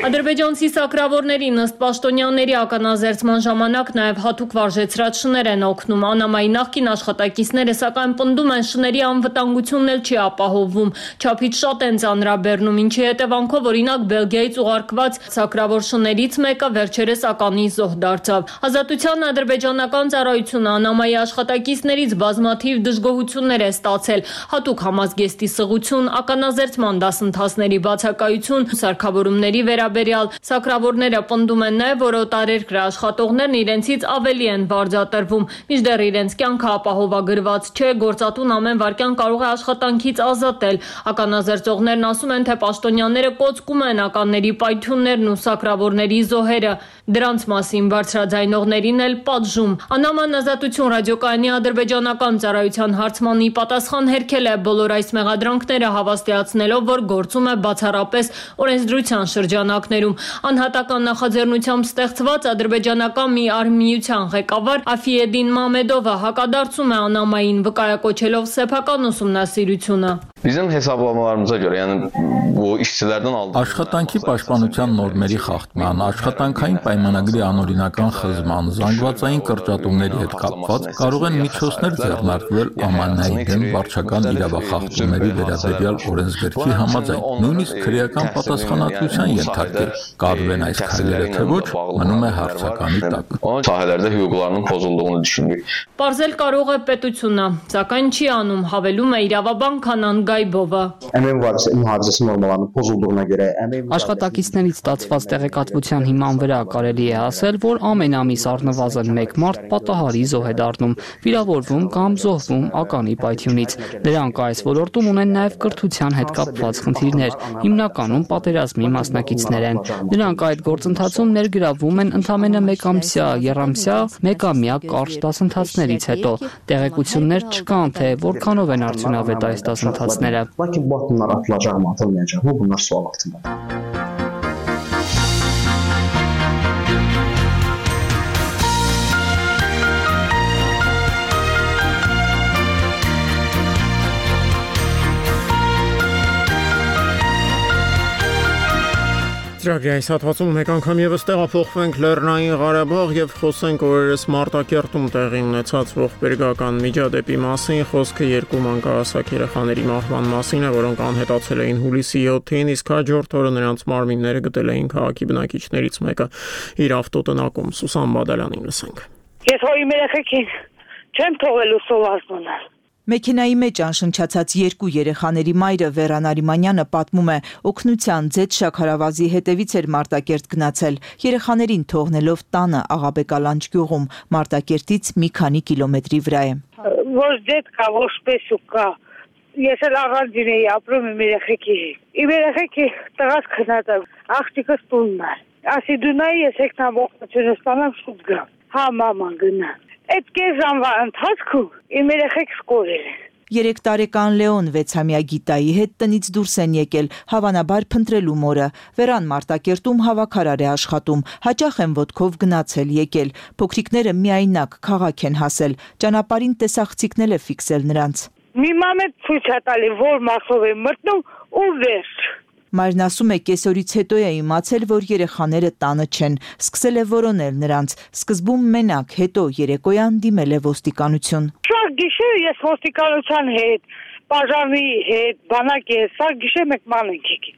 Ադրբեջանցի սակրավորներին ըստ պաշտոնյաների ականազերծման ժամանակ նաև հատուկ վարժեցրած շներ են օգնում։ ԱՆԱՄ-ի նախկին աշխատակիցները սակայն պնդում են, շների անվտանգությունն էլ չի ապահովվում, չափից շատ են ծանրաբեռնում, ինչի հետևանքով օրինակ Բելգիայից ուղարկված սակրավոր շներից մեկը վերջերս ականի զոհ դարձավ։ Ազատության ադրբեջանական ծառայությունը ԱՆԱՄ-ի աշխատակիցներից բազմաթիվ դժգոհություններ է ստացել, հատուկ համազգեստի սղություն, ականազերծման դասընթացների բացակայություն, սարքավորումների վերաբերյալ։ Սակրավորները պնդում են նաև, որ օտարերկրյա աշխատողներն իրենցից ավելի են վարձատրվում, մինչդեռ իրենց կյանքը ապահովագրված չէ, գործատուն ամեն վայրկյան կարող է աշխատանքից ազատել։ Ականազերծողներն ասում են, թե պաշտոնյաները կոծկում են ականների պայթյուններն ու սակրավորների զոհերը։ Դրանց մասին բարձրաձայնողներին էլ պատժում։ ԱՆԱՄ-ն Ազատություն ռադիոկայանի ադրբեջանական ծառայության հարցմանի պատասխան հերքել է բոլոր այս մեղադրանքները, հավաստիացնելով, որ գործում է բացառապես օրենսդրության շրջանակներում։ Անհատական նախաձեռնությամբ ստեղծված ադրբեջանական մի արհմիության ղեկավար Աֆիեդին Մամեդովը հակադարձում է ԱՆԱՄ-ին, վկայակոչելով սեփական ուսումնասիրությունը։ Bizim hesaplamamıza göre yani bu işçilerden aldığımız Աշխատանքի պաշտպանության նորմերի խախտման, աշխատանքային պայմանագրի անօրինական խզման, զանգվածային կրճատումների հետ կապված կարող են միջոցներ ձեռնարկվել Ամաննայի դեմ վարչական իրավախախտումների վերաբերյալ օրենսգրքի համաձայն, նույնիսկ քրեական պատասխանատվության ենթարկել։ Կարվեն այս քայլերը թե ոչ, մնում է հարցականի տակ։ Sahilerde hüquqlarının pozulduğunu düşündük. Պարզել կարող է պետությունը, սակայն չի անում, հավելում է իրավաբան Քանան Գայբովը։ Աշխատակիցներից ստացված տեղեկատվության հիման վրա կարելի է ասել, որ ամեն ամիս առնվազն մեկ մարդ պատահարի զոհ է դառնում, վիրավորվում կամ զոհվում ականի պայթյունից։ Նրանք այս ոլորտում ունեն նաև կրթության հետ կապված խնդիրներ, հիմնականում պատերազմի մասնակիցներ են։ Նրանք այդ գործընթացում ներգրավվում են ընդամենը մեկամսյա, եռամսյա, մեկամյա կարճ դասընթացներից հետո։ Տեղեկություններ չկան, թե որքանով են արդյունավետ այս դասընթացները։ Ծրագրի այս հատվածում մեկ անգամ ևս տեղափոխվենք Լեռնային Ղարաբաղ եւ խոսենք օրերս Մարտակերտում տեղի ունեցած ողբերգական միջադեպի մասին։ Խոսքը երկու մանկահասակ երեխաների մահվան մասին է, որոնք անհետացել էին հուլիսի յոթին, իսկ հաջորդ օրը նրանց մարմինները գտել էին քաղաքի բնակիչներից մեկը իր ավտոտնակում։ Սուսան Բադալյանին լսենք։ Ես հոր իմ երեխեքին չեմ թողելու սոված մնալ։ Մեքենայի մեջ անշնչացած երկու երեխաների մայրը Վերան Արիմանյանը պատմում է, օգնության ձեծ շաքարավազի հետևից էր Մարտակերտ գնացել, երեխաներին թողնելով տանը Աղաբեկալանջ գյուղում, Մարտակերտից մի քանի կիլոմետրի վրա է։ Ոչ դեդ կա, ոչ պես ու կա։ Ես էլ առանձին էի ապրում իմ երեխեքի հետ։ Իմ երեխեքի տղաս քնած է, աղջիկս տունն է։ Ասի դու նայ, ես եկնամ օգնությունը ստանամ, շուտ գամ։ Հա, մաման գնա։ Այդ կես ժամվա ընթացքում իմ երեխեք սկորել են։ Երեք տարեկան Լեոն վեցամյա Գիտայի հետ տնից դուրս են եկել, հավանաբար փնտրելու մորը։ Վերան Մարտակերտում հավաքարար է աշխատում, հաճախ են ոտքով գնացել եկել։ Փոքրիկները միայնակ քաղաք են հասել, ճանապարհին տեսախցիկնել է ֆիքսել նրանց։ Մի մամետ ցույց է տալի, որ մասով է մտնում ու վերջ։ Մայրն ասում է, կեսօրից հետո է իմացել, որ երեխաները տանը չեն, սկսել է որոնել նրանց, սկզբում մենակ, հետո երեկոյան դիմել է ոստիկանություն։ Շարք գիշեր ես ոստիկանության հետ, բաժանի հետ, բանակի հետ, սա գիշեր մեկ ման ենք եկել,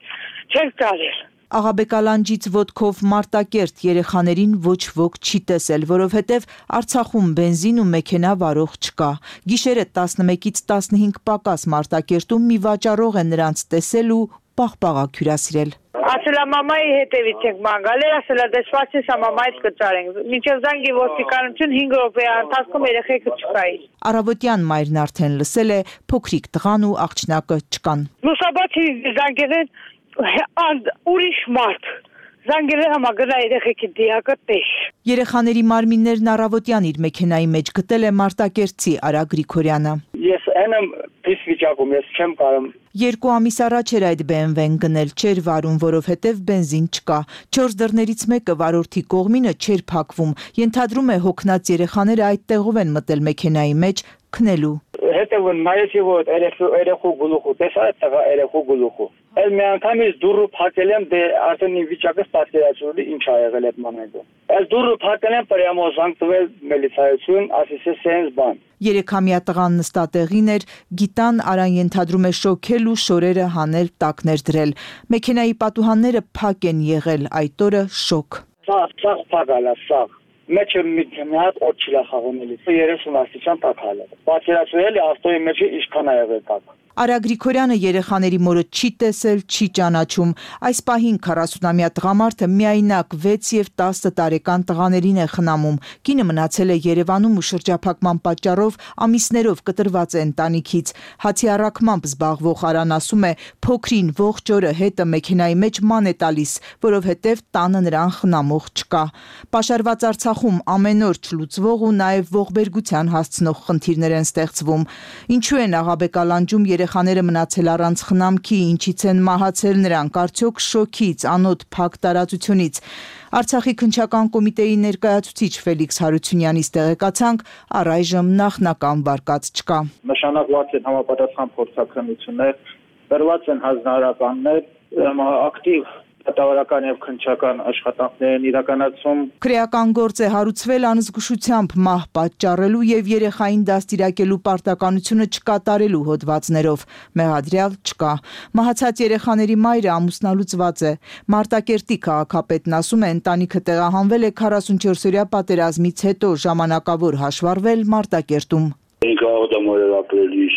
չենք տարել։ Աղաբեկալանջից ոտքով Մարտակերտ երեխաներին ոչ ոք չի տեսել, որովհետև Արցախում բենզին ու մեքենա վարող չկա։ Գիշերը տասնմեկից տասնհինգ պակաս Մարտակերտում մի վաճառող է նրանց տեսել ու պաղպաղակ հյուրասիրել։ Ասելա մամայի հետևից ենք մանգալ, ասելա դեսպացիս մամայից կծարենք։ Մինչև զանգի ոստիկանություն հինգ րոպեի ընթացքում երեխեքը չկային։ Առավոտյան մայրն արդեն լսել է փոքրիկ տղան ու աղջնակը չկան։ Լուսաբացի զանգերեն ուրիշ մարդ։ Զանգերեն համագնա երեխեքի դիակը տես։ Երեխաների մարմիններն առավոտյան իր մեքենայի մեջ գտել է Մարտակերտցի Արա Գրիգորյանը։ Ես այնեմ պիս վիճակում, ես չեմ կարող։ Երկու ամիս առաջ էր այդ բի էմ վեն գնել, չէր վարում, որովհետև բենզին չկա։ Չորս դռներից մեկը վարորդի կողմինը չէր փակվում։ Ենթադրում է հոգնած երեխաները այդ տեղով են մտել մեքենայի մեջ քնելու։ Հետևը նայեցի, որ երեխու գլուխու, տեսա այդ տղա երեխու գլուխու։ Էլ մի անգամից դուրը փակել եմ, դե արդեն իմ վիճակը պատկերացրու ինչ ա եղել այդ մոմենտում։ Էլ դուրը փակել եմ, պրյամո զանգ տվել միլիցայություն, ասեցի սենց բան։ Երեքամյա տղան նստատեղին էր, Գիտան Արան ենթադրում է շոքել ու շորերը հանել տակներ դրել։ Մեքենայի պատուհանները փակ են եղել, այդ օրը շոկ։ Սաղ, սաղ փակալա, սաղ։ Մեջը մի հատ օդ չի լախաղոնելի, երեսուն աստիճան տակ հալը։ Պատկերացրել է ավտոյի մեջը ինչքան ա եղել տակ։ Արա Գրիգորյանը երեխաների մորը չի տեսել, չի ճանաչում։ Այս պահին քառասունամյա տղամարդը միայնակ վեց եւ տասը տարեկան տղաներին է խնամում։ Կինը մնացել է Երևանում ու շրջափակման պատճառով ամիսներով կտրված է ընտանիքից։ Հացի առաքմամբ զբաղվող Արան ասում է, փոքրին ողջ օրը հետը մեքենայի մեջ ման է տալիս, որովհետև տանը նրան խնամող չկա։ Պաշարված Արցախում ամեն օր չլուծվող ու նաեւ ողբերգության հասցնող խնդիրներ են ստեղծվում։ Ինչու են Աղաբեկալանջում երեխաները մնացել առանց խնամքի, ինչից են մահացել նրանք, արդյոք շոքից, անոտ փակ տարածությունից։ Արցախի քննչական կոմիտեի ներկայացուցիչ Ֆելիքս Հարությունյանից տեղեկացանք, առայժմ նախնական վարկած չկա։ Նշանակված են համապատասխան փորձաքննություններ, բերված են հանրահարականներ, ակտիվ դատավարական եւ քննչական աշխատանքներ են իրականացում։ Քրեական գործ է հարուցվել անզգուշությամբ մահ պատճառելու եւ երեխային դաստիարակելու պարտականությունը չկատարելու հոդվածներով։ Մեղադրյալ չկա։ Մահացած երեխաների մայրը ամուսնալուծված է։ Մարտակերտի քաղաքապետն ասում է, ընտանիքը տեղահանվել է քառասունչորսօրյա պատերազմից հետո ժամանակավոր հաշվառվել Մարտակերտում։ Ինքը ադամորը ապրելիս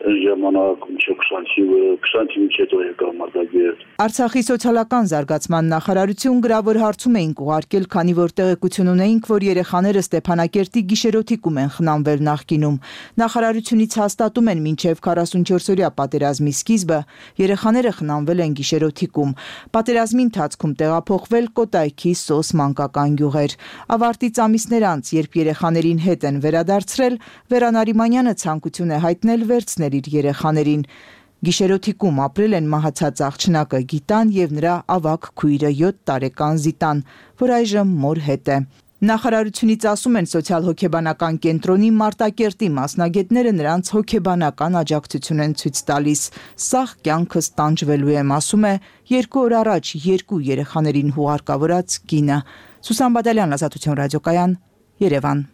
ժամանակ մինչև քսանինը մինչ հետո եկա մարտակերտ։ Արցախի սոցիալական զարգացման նախարարություն գրավոր հարցում էինք ուղարկել, քանի որ տեղեկություն ունեինք, որ երեխաները Ստեփանակերտի գիշերօթիկում են խնամվել նախկինում։ Նախարարությունից հաստատում են մինչև քառասունչորսօրյա պատերազմի սկիզբը երեխաները խնամվել են գիշերօթիկում։ Պատերազմի ընթացքում տեղափոխվել Կոտայքի Սոս մանկական գյուղեր։ Ավարտից ամիսներ անց, երբ երեխաներին հետ են վերադարձրել, Վերան Արիմանյանը ցանկություն է հայտնել վերցնել իր երեխաներին։ Գիշերօթիկում ապրել են մահացած աղջնակը Գիտան եւ նրա ավագ քույրը յոթ տարեկան Զիտան, որ այժմ մոր հետ է։ Նախարարությունից ասում են սոցիալ-հոգեբանական կենտրոնի Մարտակերտի մասնագետները նրանց հոգեբանական աջակցություն են ցույց տալիս։ Սաղ կյանքս տանջվելու եմ, ասում է երկու օր առաջ երկու երեխաներին հուղարկավորած կինը։ Սուսան Բադալյան, Ազատություն ռադիոկայան, Երևան։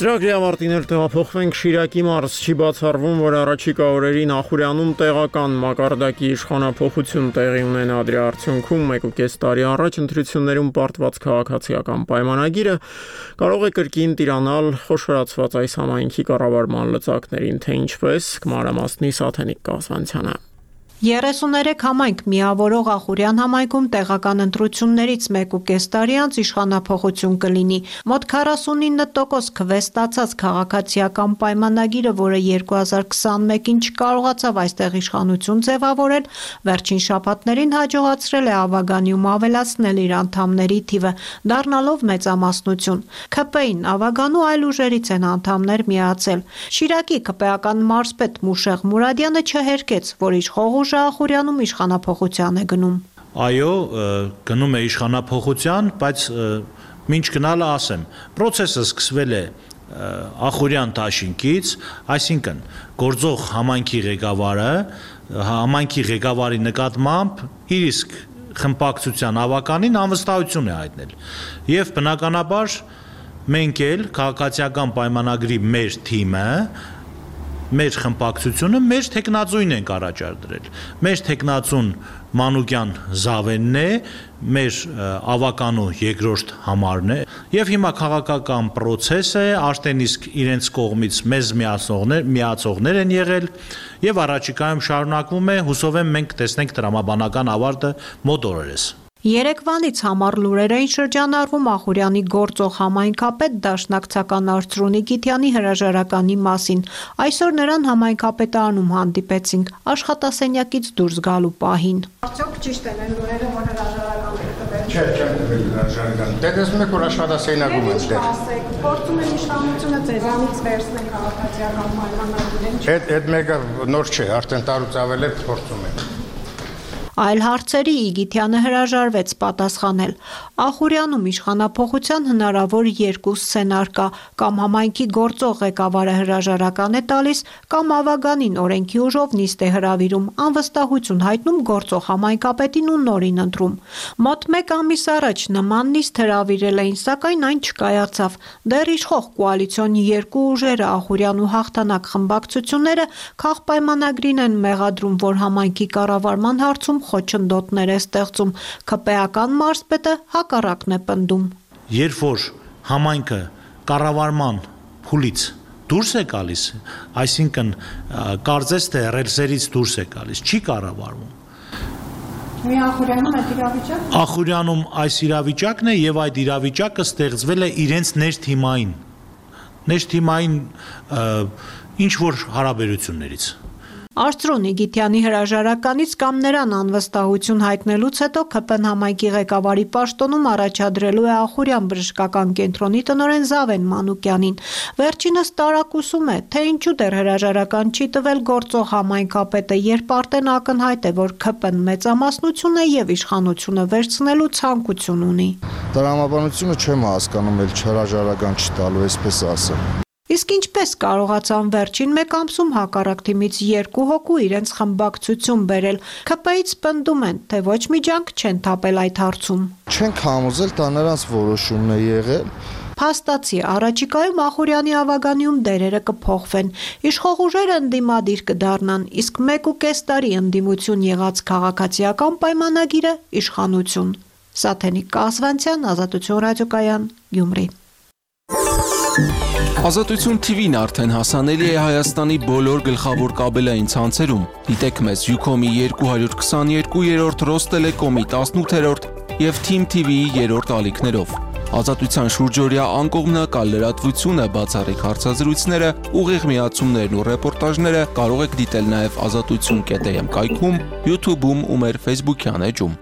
Ծրագրի ավարտին էլ տեղափոխվենք Շիրակի մարզ, չի բացառվում, որ առաջիկա օրերին Ախուրյանում տեղական մակարդակի իշխանափոխություն տեղի ունենա, դրա արդյունքում մեկուկես տարի առաջ ընտրություններում պարտված քաղաքացիական պայմանագիրը կարող է կրկին տիրանալ խոշորացված այս համայնքի կառավարման լծակներին, թե ինչպես կմանրամասնի Սաթենիկ Կազվանցյանը։ երեսուներեք համայնք միավորող Ախուրյան համայնքում տեղական ընտրություններից մեկուկես տարի անց իշխանափոխություն կլինի։ Մոտ քառասունինը տոկոս քվե ստացած քաղաքացիական պայմանագիրը, որը երկու հազար քսանմեկին չկարողացավ այստեղ իշխանություն ձևավորել, վերջին շաբաթներին հաջողացրել է Ավագանիում ավելացնել իր անդամների թիվը, դառնալով մեծամասնություն։ ՔՊ-ին Ավագանու այլ ուժերից են անդամներ միացել։ Շիրակի ԿՊ-ական մարզպետ Մուշեղ Մուրադյանը չհերկեց, որ իշխող Ախուրյանում իշխանափոխության է գնում։ Այո, գնում է իշխանափոխության, բայց մինչ գնալը ասեմ, process-ը սկսվել է Ախուրյան դաշինքից, այսինքն գործող համայնքի ղեկավարը համայնքի ղեկավարի նկատմամբ իր իսկ խմբակցության ավականին անվստահություն է հայտնել։ Եվ բնականաբար մենք էլ քաղաքացիական պայմանագրի մեր թիմը մեր խմբակցությունը մեր տեխնացուին ենք առաջադրել։ Մեր տեխնացուն Մանուկյան Զավենն է, մեր ավականու երկրորդ համարն է, եւ հիմա քաղաքական process է, արդեն իսկ իրենց կողմից մեզ միացողներ, միացողներ են եղել եւ առաջիկայում շարունակվում է, հուսով եմ մենք տեսնենք տրամաբանական ավարտը մոտ օրերս։ Երեկվանից համառ լուրեր էին շրջանառվում Ախուրյանի գործող համայնքապետ դաշնակցական Արծրունի Գիթյանի հրաժարականի մասին։ Այսօր նրան համայնքապետարանում հանդիպեցինք աշխատասենյակից դուրս գալու պահին։ Արդյոք ճիշտ են այն լուրերը, որ հրաժարական եք տվել։ Չէ, չեմ տվել հրաժարական։ Դե տեսնում եք, որ աշխատասենյակում եմ դեռ։ Փորձում են իշխանությունը ձեզանից վերցնել քաղաքացիական պայմանագիրը։ Այդ այդ մեկը նոր չէ, արդեն տարուց ավել է փորձում են։ Այլ հարցերի Իգիթյանը հրաժարվեց պատասխանել։ Ախուրյանում իշխանափոխության հնարավոր երկու սցենար կա, կամ համայնքի գործող ղեկավարը հրաժարական է տալիս, կամ Ավագանին օրենքի ուժով նիստ է հրավիրում, անվստահություն հայտնում գործող համայնքապետին ու նորին ընտրում։ Մոտ մեկ ամիս առաջ նման նիստ հրավիրել էին, սակայն այն չկայացավ։ Դեռ իշխող կոալիցիոն երկու ուժերը Ախուրյանու հաղթանակ խմբակցությունները քաղաքապայմանագրին են մեղադրում, որ համայնքի կառավարման հարցում խոչընդոտներ է ստեղծում, ՔՊ-ական մարզպետը հակառակն է պնդում։ Երբ որ համայնքը կառավարման փուլից դուրս է գալիս, այսինքն կարծես թե ռելսերից դուրս է գալիս, չի կառավարվում։ Մի Ախուրյանում այդ իրավիճակն է։ Ախուրյանում այս իրավիճակն է եւ այդ իրավիճակը ստեղծվել է իրենց ներթիմային, ներթիմային ինչ որ հարաբերություններից։ Արծրուն Իգիթյանի հրաժարականից կամ նրան անվստահություն հայտնելուց հետո ՔՊ-ն համայնքի ղեկավարի պաշտոնում առաջադրելու է Ախուրյան բժշկական կենտրոնի տնօրեն Զավեն Մանուկյանին։ Վերջինս տարակուսում է, թե ինչու դեռ հրաժարական չի տվել գործող համայնքապետը, երբ արդեն ակնհայտ է, որ ՔՊ-ն մեծամասնություն է եւ իշխանությունը վերցնելու ցանկություն ունի։ Տրամաբանությունը չեմ հասկանում, էլ հրաժարական չտալու, այսպես ասեմ։ Իսկ ինչպես կարողացան վերջին մեկ ամսում հակառակ թիմից երկու հոգու իրենց խմբակցություն բերել, ՔՊ-ից պնդում են, թե ոչ մի ջանք չեն թափել այդ հարցում։ Չենք համոզել, դա նրանց որոշումն է եղել։ փաստացի առաջիկայում Ախուրյանի ավագանիում դերերը կփոխվեն։ Իշխող ուժերը ընդդիմադիր կդառնան, իսկ մեկ ու կես տարի ընդդիմություն եղած քաղաքացիական պայմանագիրը իշխանություն։ Սաթենիկ Կասվանցյան, Ազատություն ռադիոկայան, Գյումրի։ Ազատություն թի վին արդեն հասանելի է Հայաստանի բոլոր գլխավոր կաբելային ցանցերում։ Դիտեք մեզ Յուքոմի երկու հարյուր քսաներկու, Ռոստելեկոմի տասնութերորդ եւ Թիմ թի վիի երրորդ ալիքներով։ Ազատության շուրջօրյա անկողմնակալ լրատվությունը, բացառիկ հարցազրույցները, ուղիղ միացումներն ու ռեպորտաժները կարող եք դիտել նաեւ ազատություն կետ էմ կայքում, YouTube-ում ու մեր Facebook-յան էջում։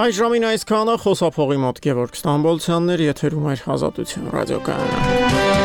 Այս ժամին այսքանը խոսափողի մոտ Գևորգ Ստամբոլցյանն էր, եթերում էր Ազատություն ռադիոկայանը։